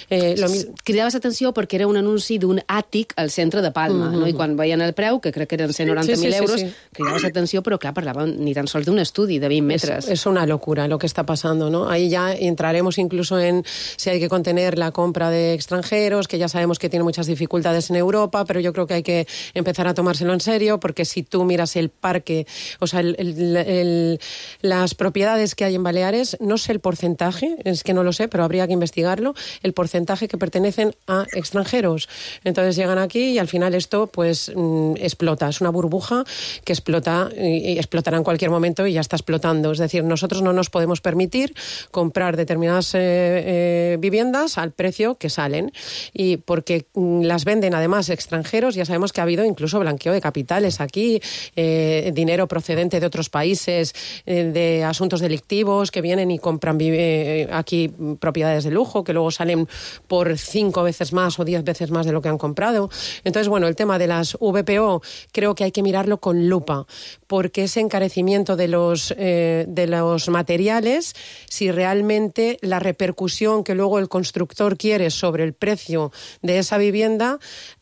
Eh, lo... Cridaves atenció perquè era un anunci d'un àtic al centre de Palma, mm-hmm. no? I quan veien el preu, que crec que eren cent noranta mil sí, sí, euros, sí, sí. cridaves atenció, però clar, parlaven ni tan sols d'un estudi de vint metres. Es, es una locura lo que está pasando, ¿no? Ahí ya entraremos incluso en si hay que contener la compra de extranjeros, que ya sabemos que tiene muchas dificultades en Europa, pero yo creo que hay que empezar a tomárselo en serio, porque si tú miras el parque, o sea, el, el, el, las propiedades que hay en Baleares, no sé el porcentaje, es que no lo sé, pero habría que investigarlo, el porcentaje que pertenecen a extranjeros. Entonces llegan aquí y al final esto esto pues explota, es una burbuja que explota y explotará en cualquier momento y ya está explotando. Es decir, nosotros no nos podemos permitir comprar determinadas eh, eh, viviendas al precio que salen, y porque las venden además extranjeros. Ya sabemos que ha habido incluso blanqueo de capitales aquí, eh, dinero procedente de otros países, eh, de asuntos delictivos que vienen y compran eh, aquí propiedades de lujo que luego salen por cinco veces más o diez veces más de lo que han comprado. Entonces, bueno, el tema de las V P O creo que hay que mirarlo con lupa, porque ese encarecimiento de los, eh, de los materiales, si realmente la repercusión que luego el constructor quiere sobre el precio de esa vivienda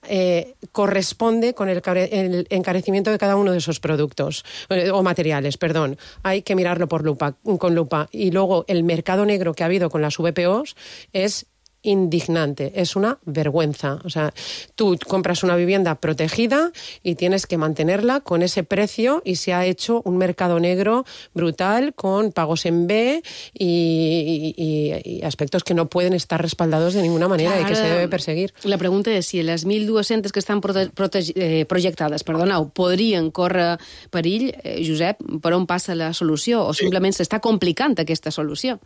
eh, corresponde con el, el encarecimiento de cada uno de esos productos, eh, o materiales, perdón. Hay que mirarlo por lupa, con lupa. Y luego el mercado negro que ha habido con las V P Os es indignante, es una vergüenza. O sea, tú compras una vivienda protegida y tienes que mantenerla con ese precio, y se ha hecho un mercado negro brutal con pagos en B y, y, y aspectos que no pueden estar respaldados de ninguna manera. Clar, y que se debe perseguir. La pregunta és si les mil dues-centes que estan prote eh, projectades, perdoneu, podrien córrer perill, eh, Josep, per on passa la solució? O simplement s'està complicant aquesta solució?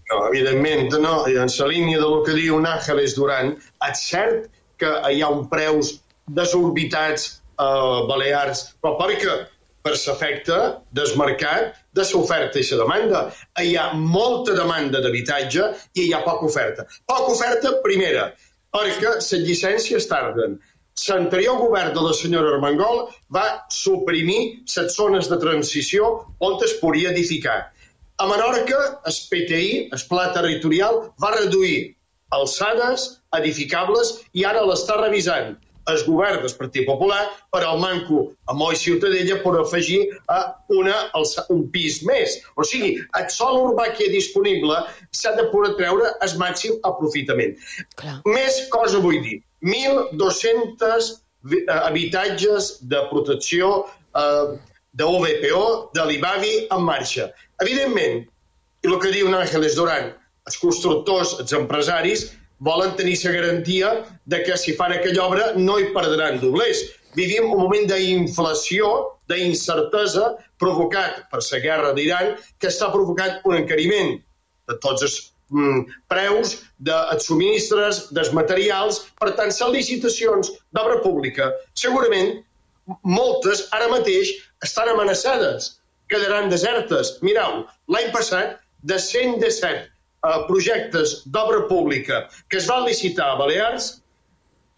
No, evidentment, no. En la línia del que diu Àngeles Duran, és cert que hi ha uns preus desorbitats a Balears, però perquè per l'efecte del mercat, de l'oferta i la demanda. Hi ha molta demanda d'habitatge i hi ha poca oferta. Poca oferta, primera, perquè les llicències tarden. L'anterior govern de la senyora Armengol va suprimir les zones de transició on es podia edificar. A Menorca, el P T I, el Pla Territorial, va reduir alçades edificables i ara l'està revisant el govern del Partit Popular per al manco a Moll Ciutadella per afegir a una, un pis més. O sigui, el sòl urbà que hi ha disponible s'ha de poder treure el màxim aprofitament. Clar. Més cosa vull dir, mil dos-cents habitatges de protecció eh, de U V P O, de l'I B A V I en marxa. Evidentment, i el que diu Àngeles Duran, els constructors, els empresaris, volen tenir la garantia de que si fan aquella obra no hi perdran doblers. Vivim un moment d'inflació, d'incertesa, provocat per la guerra d'Iran, que està provocant un encariment de tots els mm, preus, dels subministres, dels materials. Per tant, les licitacions d'obra pública, segurament, moltes ara mateix estan amenaçades, quedaran desertes. Mireu, l'any passat, de cent disset uh, projectes d'obra pública que es van licitar a Balears,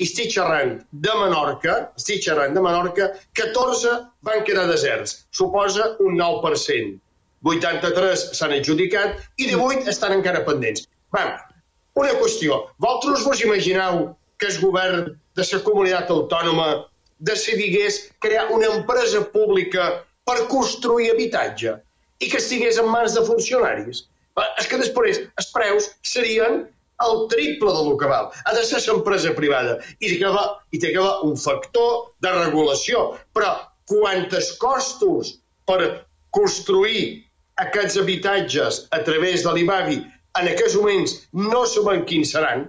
i estic xerrant de Menorca, estic xerrant de Menorca, catorze van quedar deserts, suposa un nou per cent. vuitanta-tres s'han adjudicat i divuit estan encara pendents. Va, una qüestió. Vosaltres vos imagineu que el govern de la comunitat autònoma decidigués crear una empresa pública per construir habitatge i que estigués en mans de funcionaris? És que després els preus serien el triple del que val. Ha de ser l'empresa privada i té que haver un factor de regulació. Però quantes costos per construir aquests habitatges a través de l'I B A V I en aquests moments no sabem quins seran,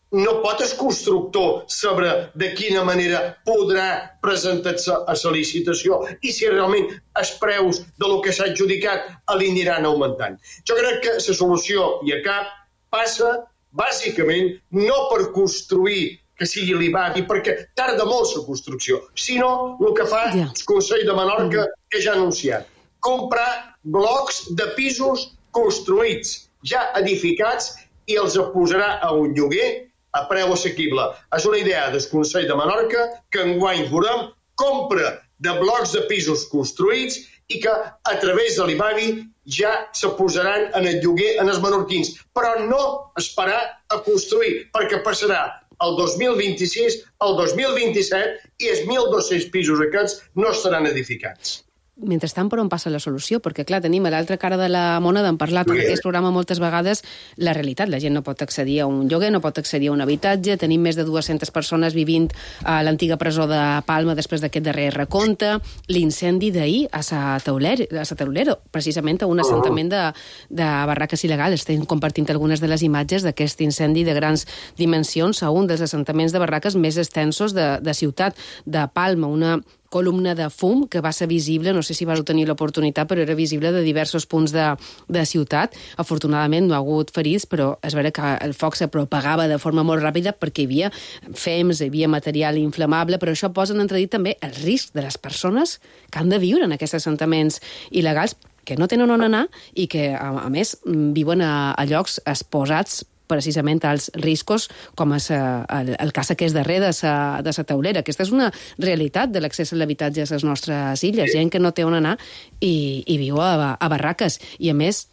no pot el constructor saber de quina manera podrà presentar-se a la licitació i si realment els preus de lo que s'ha adjudicat l'aniran augmentant. Jo crec que la solució i a cap passa bàsicament no per construir que sigui l'I B A V I, perquè tarda molt la construcció, sinó el que fa el Consell de Menorca, que ja ha anunciat, comprar blocs de pisos construïts, ja edificats, i els posarà a un lloguer a preu assequible. És una idea del Consell de Menorca que enguany veurem compra de blocs de pisos construïts i que a través de l'I B A V I ja se posaran en el lloguer en els menorquins. Però no esperar a construir, perquè passarà el dos mil vint-i-sis, el dos mil vint-i-set i els mil dos-cents pisos aquests no estaran edificats. mentrestant, per on passa la solució? Perquè, clar, tenim a l'altra cara de la moneda, hem parlat en aquest programa moltes vegades, la realitat. La gent no pot accedir a un lloguer, no pot accedir a un habitatge, tenim més de dues-centes persones vivint a l'antiga presó de Palma després d'aquest darrer recompte, l'incendi d'ahir a Sa Taulera, a Sa Taulera, precisament a un assentament de, de barraques il·legals. Estem compartint algunes de les imatges d'aquest incendi de grans dimensions a un dels assentaments de barraques més extensos de, de ciutat de Palma, una columna de fum que va ser visible, no sé si vau tenir l'oportunitat, però era visible de diversos punts de, de ciutat. Afortunadament no ha hagut ferits, però és vera que el foc se propagava de forma molt ràpida perquè hi havia fems, hi havia material inflamable, però això posa en entredit també el risc de les persones que han de viure en aquests assentaments il·legals, que no tenen on anar i que, a, a més, viuen a, a llocs exposats precisament als riscos, com és el, el cas aquest darrer de Sa, de Sa Taulera. Aquesta és una realitat de l'accés a l'habitatge a les nostres illes. Gent que no té on anar i, i viu a, a barraques. I, a més,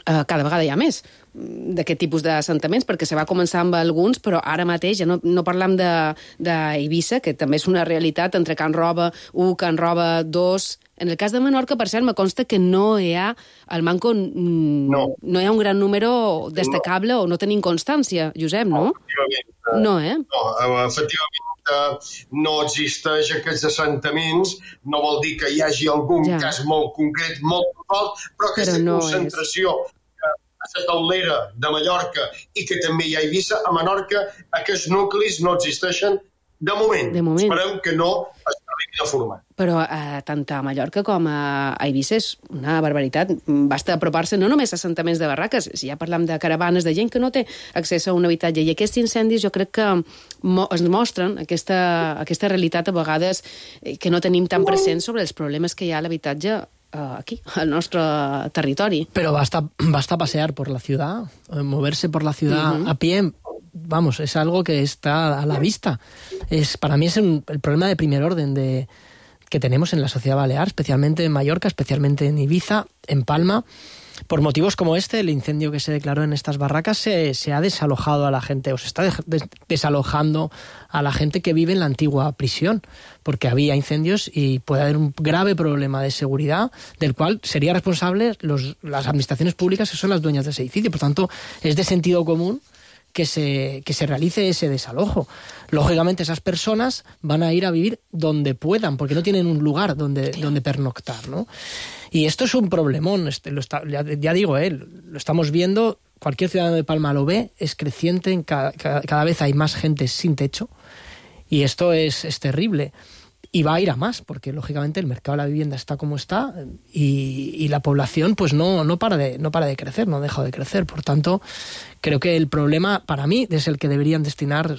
eh, cada vegada hi ha més d'aquest tipus d'assentaments, perquè se va començar amb alguns, però ara mateix ja no, no parlam d'Eivissa, que també és una realitat entre Can Roba u, Can Roba dos. En el cas de Menorca, per cert, me consta que no hi ha, al Manco no, no hi ha un gran número destacable no. O no tenim constància, Josep, no? No, no eh? No, efectivament no existeix aquests assentaments, no vol dir que hi hagi algun ja. cas molt concret, molt fort, però aquesta però no concentració és. A Sa Taulera de Mallorca i que també hi ha Eivissa, a Menorca aquests nuclis no existeixen de moment. De moment. Esperem que no es arribi a formar. Però eh, tant a Mallorca com a Eivissa és una barbaritat. Basta apropar-se no només a assentaments de barraques, si ja parlam de caravanes de gent que no té accés a un habitatge. I aquests incendis jo crec que mo es mostren aquesta, aquesta realitat a vegades que no tenim tan present sobre els problemes que hi ha a l'habitatge aquí, al nostre territori. Pero basta, basta pasear por la ciudad, moverse por la ciudad uh-huh. a pie, vamos, es algo que está a la vista. Es, para mí es un, el problema de primer orden de, que tenemos en la sociedad balear, especialmente en Mallorca, especialmente en Ibiza, en Palma. Por motivos como este, el incendio que se declaró en estas barracas se, se ha desalojado a la gente, o se está des desalojando a la gente que vive en la antigua prisión, porque había incendios y puede haber un grave problema de seguridad del cual serían responsables los, las administraciones públicas que son las dueñas de ese edificio. Por tanto, es de sentido común que se, que se realice ese desalojo. Lógicamente, esas personas van a ir a vivir donde puedan, porque no tienen un lugar donde, donde pernoctar, ¿no? Y esto es un problemón, este, lo está, ya, ya digo, eh, lo estamos viendo, cualquier ciudadano de Palma lo ve, es creciente, en cada, cada, cada vez hay más gente sin techo, y esto es, es terrible. Y va a ir a más, porque lógicamente el mercado de la vivienda está como está y, y la población pues no, no, para de, no para de crecer, no deja de crecer. Por tanto, creo que el problema para mí es el que deberían destinar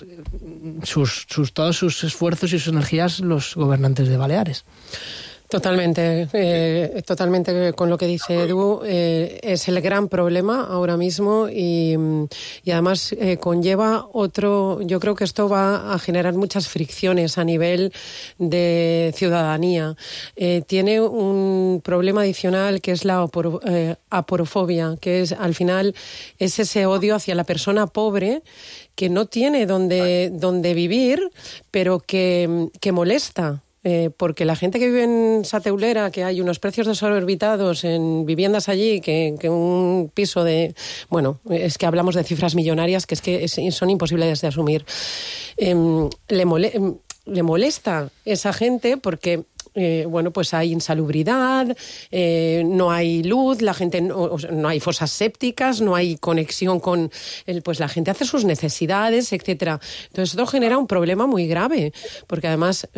sus, sus, todos sus esfuerzos y sus energías los gobernantes de Baleares. Totalmente, eh, totalmente con lo que dice Edu. Eh, es el gran problema ahora mismo y, y además eh, conlleva otro. Yo creo que esto va a generar muchas fricciones a nivel de ciudadanía. Eh, tiene un problema adicional que es la aporo, eh, aporofobia, que es al final es ese odio hacia la persona pobre que no tiene donde, donde vivir, pero que, que molesta. Eh, porque la gente que vive en Sa Taulera, que hay unos precios desorbitados en viviendas allí, que, que un piso de... Bueno, es que hablamos de cifras millonarias que es que es, son imposibles de asumir. Eh, le, mole, le molesta esa gente porque... Eh, bueno, pues hay insalubridad, eh, no hay luz, la gente no, no hay fosas sépticas, no hay conexión con el, pues la gente hace sus necesidades, etcétera. Entonces esto genera un problema muy grave, porque además,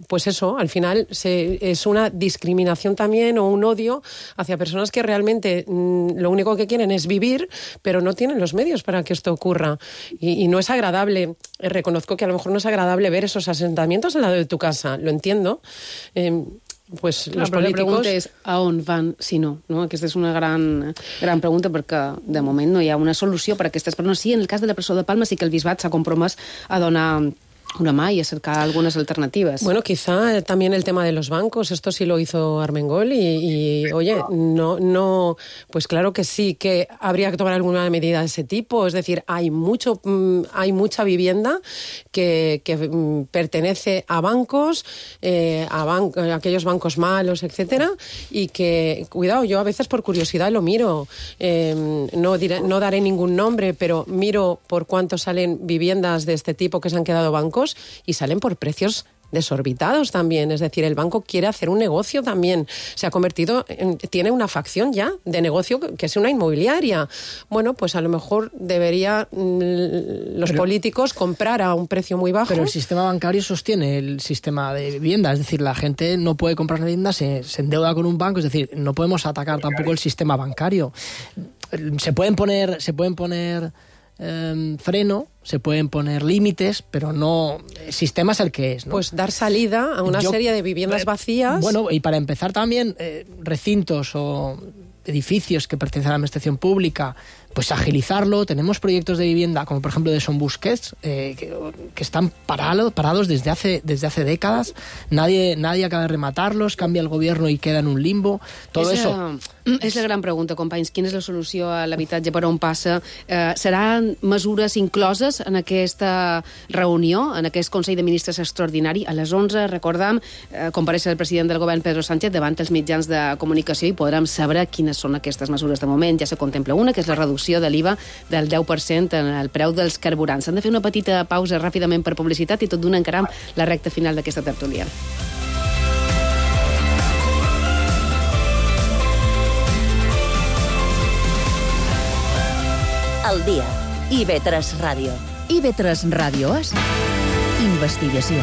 pues eso, al final se, es una discriminación también o un odio hacia personas que realmente lo único que quieren es vivir, pero no tienen los medios para que esto ocurra. Y, y no es agradable, reconozco que a lo mejor no es agradable ver esos asentamientos al lado de tu casa, lo entiendo. Eh, pues Clar, los políticos... La pregunta és a on van si no, no? Aquesta és una gran, gran pregunta perquè de moment no hi ha una solució per a aquestes persones. Sí, en el cas de la presó de Palma sí que el bisbat s'ha compromès a donar una mà y a cercar algunas alternativas. Bueno, quizá también el tema de los bancos, esto sí lo hizo Armengol y, y oye, no, no, pues claro que sí, que habría que tomar alguna medida de ese tipo, es decir, hay mucho, hay mucha vivienda que, que pertenece a bancos, eh, a, ban a aquellos bancos malos, etcétera, y que, cuidado, yo a veces por curiosidad lo miro, eh, no, diré, no daré ningún nombre, pero miro por cuánto salen viviendas de este tipo que se han quedado bancos y salen por precios desorbitados también, es decir, el banco quiere hacer un negocio también, se ha convertido, en, tiene una facción ya de negocio que es una inmobiliaria. Bueno, pues a lo mejor debería mmm, los pero, políticos comprar a un precio muy bajo. Pero el sistema bancario sostiene el sistema de vivienda, es decir, la gente no puede comprar una vivienda, se, se endeuda con un banco, es decir, no podemos atacar tampoco el sistema bancario. Se pueden poner, se pueden poner eh, freno, se pueden poner límites, pero no... El sistema es el que es, ¿no? Pues dar salida a una Yo, serie de viviendas vacías. Bueno, y para empezar también, eh, recintos o edificios que pertenecen a la administración pública, pues agilizarlo. Tenemos proyectos de vivienda, como por ejemplo de Son Busquets, eh, que, que están parado, parados desde hace, desde hace décadas. Nadie, nadie acaba de rematarlos, cambia el gobierno y queda en un limbo. Todo és, eso... És la gran pregunta, companys. Quina és la solució a l'habitatge, per on passa? Eh, seran mesures incloses en aquesta reunió, en aquest Consell de Ministres extraordinari? A les onze, recordam, eh, compareix el president del govern, Pedro Sánchez, davant els mitjans de comunicació i podrem saber quines són aquestes mesures. De moment ja se contempla una, que és la reducció de l'I V A del deu per cent en el preu dels carburants. S'han de fer una petita pausa ràpidament per publicitat i tot d'una encaram la recta final d'aquesta tertúlia. Al dia. I V tres Ràdio. I V tres Ràdio és investigació.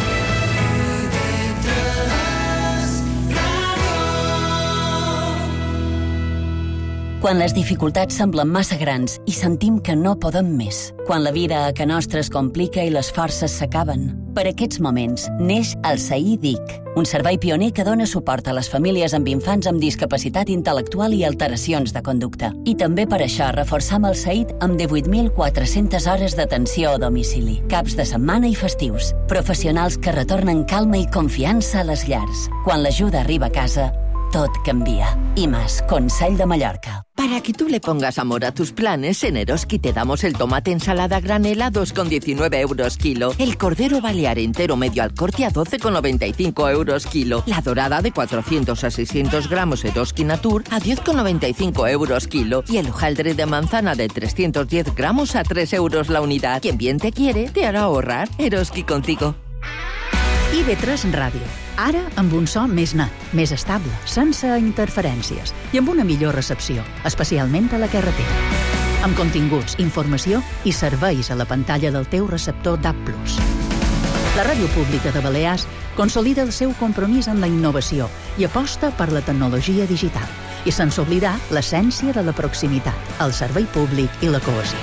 Quan les dificultats semblen massa grans i sentim que no podem més. Quan la vida a ca nostra es complica i les forces s'acaben. Per aquests moments neix el S A I D I C, un servei pioner que dona suport a les famílies amb infants amb discapacitat intel·lectual i alteracions de conducta. I també per això reforçam el S A I D amb divuit mil quatre-centes hores d'atenció a domicili, caps de setmana i festius. Professionals que retornen calma i confiança a les llars. Quan l'ajuda arriba a casa, tot canvia. I más, Consell de Mallorca. Para que tú le pongas amor a tus planes, en Eroski te damos el tomate ensalada granel a dos con diecinueve euros kilo, el cordero balear entero medio al corte a doce con noventa y cinco euros kilo, la dorada de cuatrocientos a seiscientos gramos Eroski Natur a diez con noventa y cinco euros kilo y el hojaldre de manzana de trescientos diez gramos a tres euros la unidad. Quien bien te quiere, te hará ahorrar. Eroski contigo. I V tres Ràdio. Ara amb un so més net, més estable, sense interferències i amb una millor recepció, especialment a la carretera. Amb continguts, informació i serveis a la pantalla del teu receptor D A B plus. La Ràdio Pública de Balears consolida el seu compromís en la innovació i aposta per la tecnologia digital i sense oblidar l'essència de la proximitat, el servei públic i la cohesió.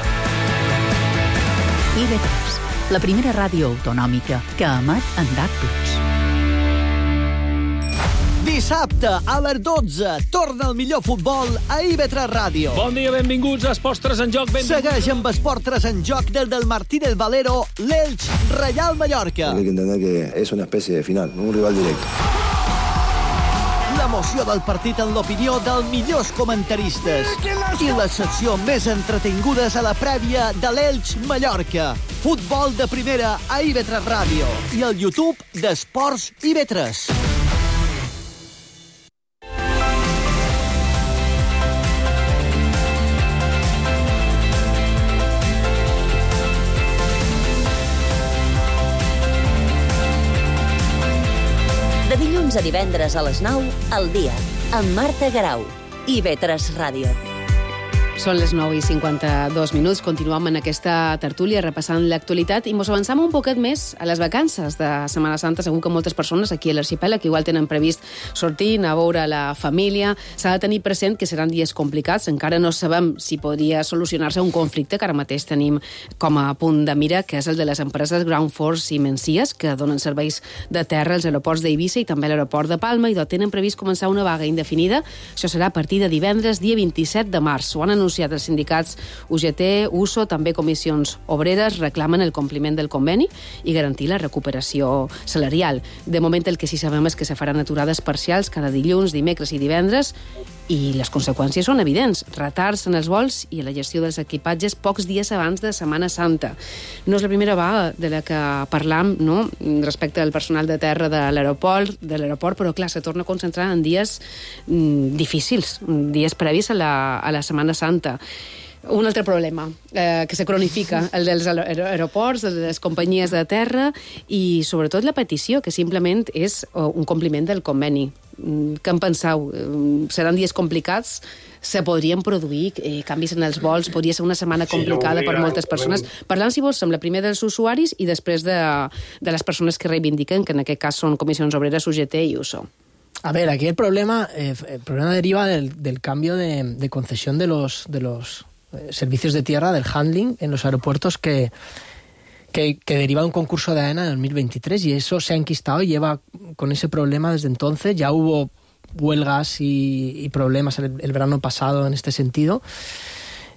I V tres, la primera ràdio autonòmica que emet en D A B plus. Dissabte, a les dotze, torna el millor futbol a I V tres Ràdio. Bon dia, benvinguts a Esports tres en joc. Benvinguts. Segueix amb Esports tres en joc des del Martínez Valero, l'Elx Reial Mallorca. Hay que entender que es una especie de final, un rival directo. L'emoció del partit en l'opinió dels millors comentaristes i la secció més entretingudes a la prèvia de l'Elx Mallorca. Futbol de primera a I V tres Ràdio i al YouTube d'Esports I V tres. De dilluns a divendres a les nou, al dia, amb Marta Garau, I V tres Ràdio. Són les nou i cinquanta-dos minuts. Continuem en aquesta tertúlia repassant l'actualitat i mos avançam un poquet més a les vacances de Setmana Santa. Segur que moltes persones aquí a l'arxipèlag igual tenen previst sortir, anar a veure la família. S'ha de tenir present que seran dies complicats. Encara no sabem si podria solucionar-se un conflicte que ara mateix tenim com a punt de mira, que és el de les empreses Ground Force i Mencies, que donen serveis de terra als aeroports d'Eivissa i també a l'aeroport de Palma, i tenen previst començar una vaga indefinida. Això serà a partir de divendres, dia vint-i-set de març. Ho han anunciat denunciat. Els sindicats U G T, U S O, també comissions obreres, reclamen el compliment del conveni i garantir la recuperació salarial. De moment el que sí sabem és que se faran aturades parcials cada dilluns, dimecres i divendres, i les conseqüències són evidents. Retards en els vols i la gestió dels equipatges pocs dies abans de Setmana Santa. No és la primera vaga de la que parlam, no?, respecte al personal de terra de l'aeroport, de l'aeroport, però clar, se torna a concentrar en dies mm, difícils, dies previs a la, a la Setmana Santa. Un altre problema eh, que se cronifica, el dels aeroports, el de les companyies de terra i sobretot la petició, que simplement és un compliment del conveni. Què en penseu? Seran dies complicats? Se podrien produir eh, canvis en els vols? Podria ser una setmana complicada per moltes persones? Parlant, si vols, amb la primer dels usuaris i després de, de les persones que reivindiquen, que en aquest cas són comissions obreres, U G T i U S O. A ver, aquí el problema, eh, el problema deriva del, del cambio de, de concesión de los, de los eh, servicios de tierra, del handling en los aeropuertos que... Que, que deriva de un concurso de AENA en dos mil veintitrés y eso se ha enquistado y lleva con ese problema desde entonces. Ya hubo huelgas y, y problemas el, el verano pasado en este sentido.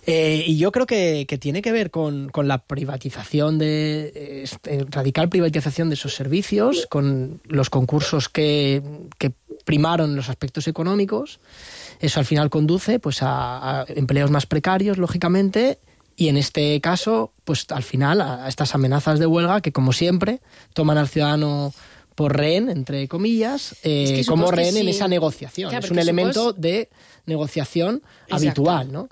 Eh, y yo creo que, que tiene que ver con, con la privatización, de eh, radical privatización de esos servicios, con los concursos que, que primaron los aspectos económicos. Eso al final conduce pues, a, a empleos más precarios, lógicamente. Y en este caso, pues al final, a estas amenazas de huelga que, como siempre, toman al ciudadano por rehén, entre comillas, eh, es que como rehén sí. en esa negociación. Claro, es un elemento supos... de negociación Exacto. habitual, ¿no?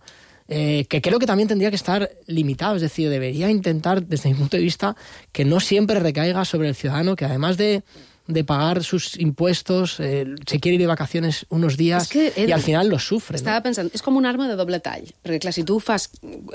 Eh, que creo que también tendría que estar limitado, es decir, debería intentar, desde mi punto de vista, que no siempre recaiga sobre el ciudadano, que además de... de pagar sus impuestos, eh, se quiere ir de vacaciones unos días que, Edu, i al final los sufre. Estava no? pensant, és com un arma de doble tall, perquè clar, si tu ho fas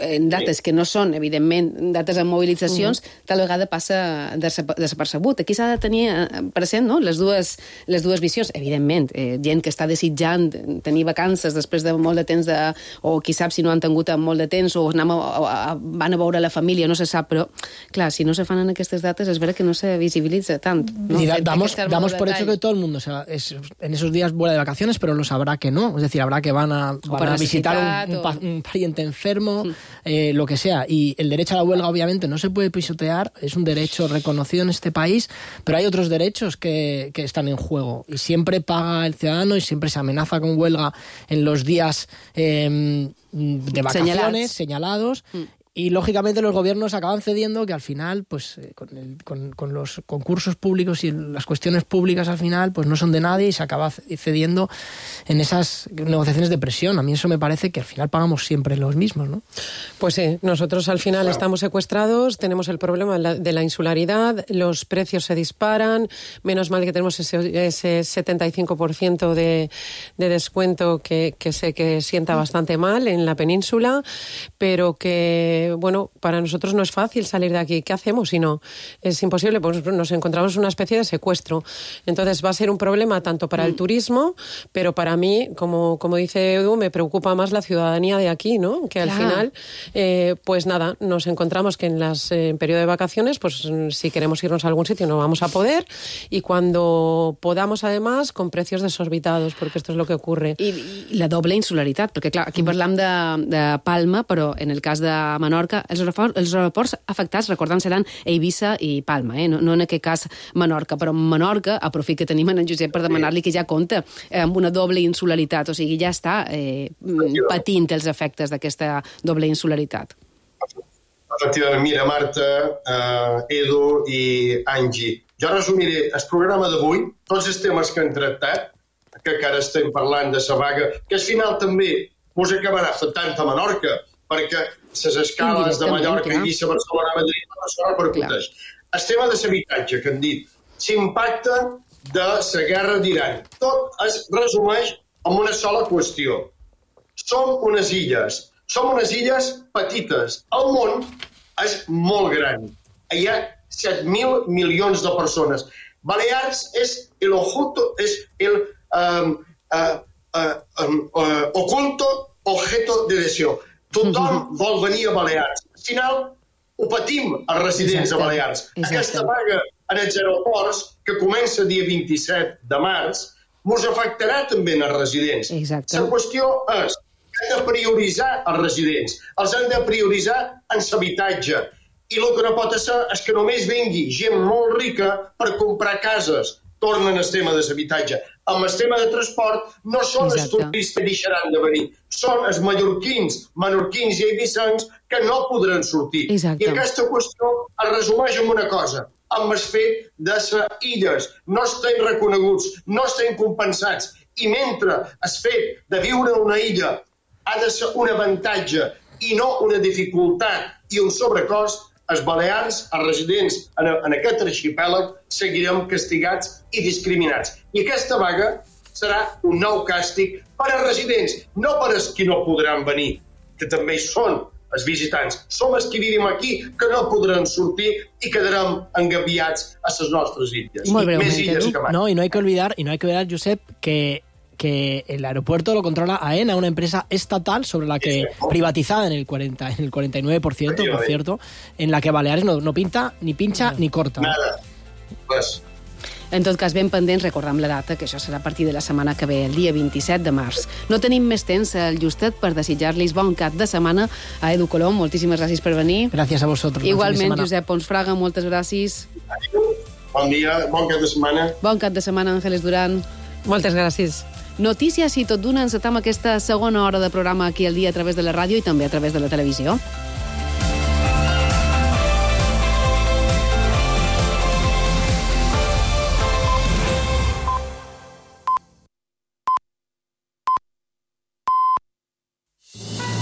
en dates que no són, evidentment, dates amb mobilitzacions, uh-huh. tal vegada passa desapercebut. Aquí s'ha de tenir present, no?, les dues, les dues visions. Evidentment, eh, gent que està desitjant tenir vacances després de molt de temps, de, o qui sap si no han tingut molt de temps, o anem a, a, van a veure la família, no se sap, però clar, si no se fan en aquestes dates, és vera que no se visibilitza tant. No? I damos Damos por hecho que todo el mundo, o sea, es, en esos días vuela de vacaciones, pero lo sabrá que no. Es decir, habrá que van a, van a visitar un, un, pa, un pariente enfermo, sí. eh, lo que sea. Y el derecho a la huelga, obviamente, no se puede pisotear, es un derecho reconocido en este país, pero hay otros derechos que, que están en juego. Y siempre paga el ciudadano y siempre se amenaza con huelga en los días eh, de vacaciones, señalados. señalados mm. Y, lógicamente, los gobiernos acaban cediendo, que al final, pues eh, con, el, con, con los concursos públicos y las cuestiones públicas, al final, pues no son de nadie y se acaba cediendo en esas negociaciones de presión. A mí eso me parece que al final pagamos siempre los mismos, ¿no? Pues sí, nosotros al final estamos secuestrados, tenemos el problema de la insularidad, los precios se disparan, menos mal que tenemos ese, ese setenta y cinco por ciento de, de descuento que, que sé que sienta bastante mal en la península, pero que bueno, para nosotros no es fácil salir de aquí. ¿Qué hacemos si no? Es imposible, pues nos encontramos en una especie de secuestro. Entonces va a ser un problema tanto para el turismo, pero para mí, como, como dice Edu, me preocupa más la ciudadanía de aquí, ¿no? Que al claro. final, eh, pues nada, nos encontramos que en las eh, en periodo de vacaciones, pues si queremos irnos a algún sitio no vamos a poder, y cuando podamos, además, con precios desorbitados, porque esto es lo que ocurre. I, i la doble insularitat, perquè clar, aquí parlam de, de Palma, però en el cas de Menorca, els aeroports, els aeroports afectats, recordant, seran Eivissa i Palma, eh? no, no en aquest cas Menorca, però Menorca, aprofit que tenim en Josep per demanar-li que ja compta amb una doble insularitat, o sigui, ja està eh, patint els efectes d'aquesta doble insularitat. Efectivament, mira, Marta, eh, Edu i Angie, jo resumiré el programa d'avui, tots els temes que hem tractat, que ara estem parlant de la vaga, que al final també us acabarà afectant a Menorca, perquè les escales de Mallorca, Eivissa, Barcelona, Madrid, no se repercuteix. El tema de l'habitatge, que han dit, l'impacte de la guerra d'Iran. Tot es resumeix en una sola qüestió. Som unes illes. Som unes illes petites. El món és molt gran. Hi ha set mil milions de persones. Balears és el oculto, és el um, uh, uh, um, uh, oculto objeto de deseo. Tothom vol venir a Balears. Al final, ho patim els residents Exacte. a Balears. Exacte. Aquesta vaga en els aeroports, que comença el dia vint-i-set de març, ens afectarà també en els residents. Exacte. La qüestió és hem de prioritzar els residents, els hem de prioritzar en l'habitatge. I el que no pot ser és que només vingui gent molt rica per comprar cases. Tornen al tema de l'habitatge. Amb el tema de transport no són els turistes que deixaran de venir, són els mallorquins, menorquins i eivissencs que no podran sortir. Exacte. I aquesta qüestió es resumeix en una cosa, amb el fet de les illes. No estem reconeguts, no estem compensats. I mentre el fet de viure en una illa ha de ser un avantatge i no una dificultat i un sobrecost, els balears, els residents en, en aquest arxipèlag, seguirem castigats i discriminats. I aquesta vaga serà un nou càstig per als residents, no per als qui no podran venir, que també són els visitants. Som els que vivim aquí, que no podran sortir i quedarem engabiats a les nostres illes. Muy Més illes que mai. No, y no hay que olvidar, y no hay que olvidar, Josep, que que el aeropuerto lo controla AENA, una empresa estatal sobre la que privatizada en el cuarenta, en el cuarenta y nueve por ciento, por cierto, en la que Baleares no, no pinta, ni pincha, ni corta. Nada. Pues. En tot cas, ben pendents, recordem la data, que això serà a partir de la setmana que ve, el dia vint-i-set de març. No tenim més temps al justet per desitjar-los bon cap de setmana a Edu Colom. Moltíssimes gràcies per venir. Gràcies a vosotros. Igualment, Josep Pons Fraga, moltes gràcies. Bon dia, bon cap de setmana. Bon cap de setmana, Ángeles Durán. Moltes gràcies. Notícies i tot d'una encetam aquesta segona hora de programa aquí al dia a través de la ràdio i també a través de la televisió.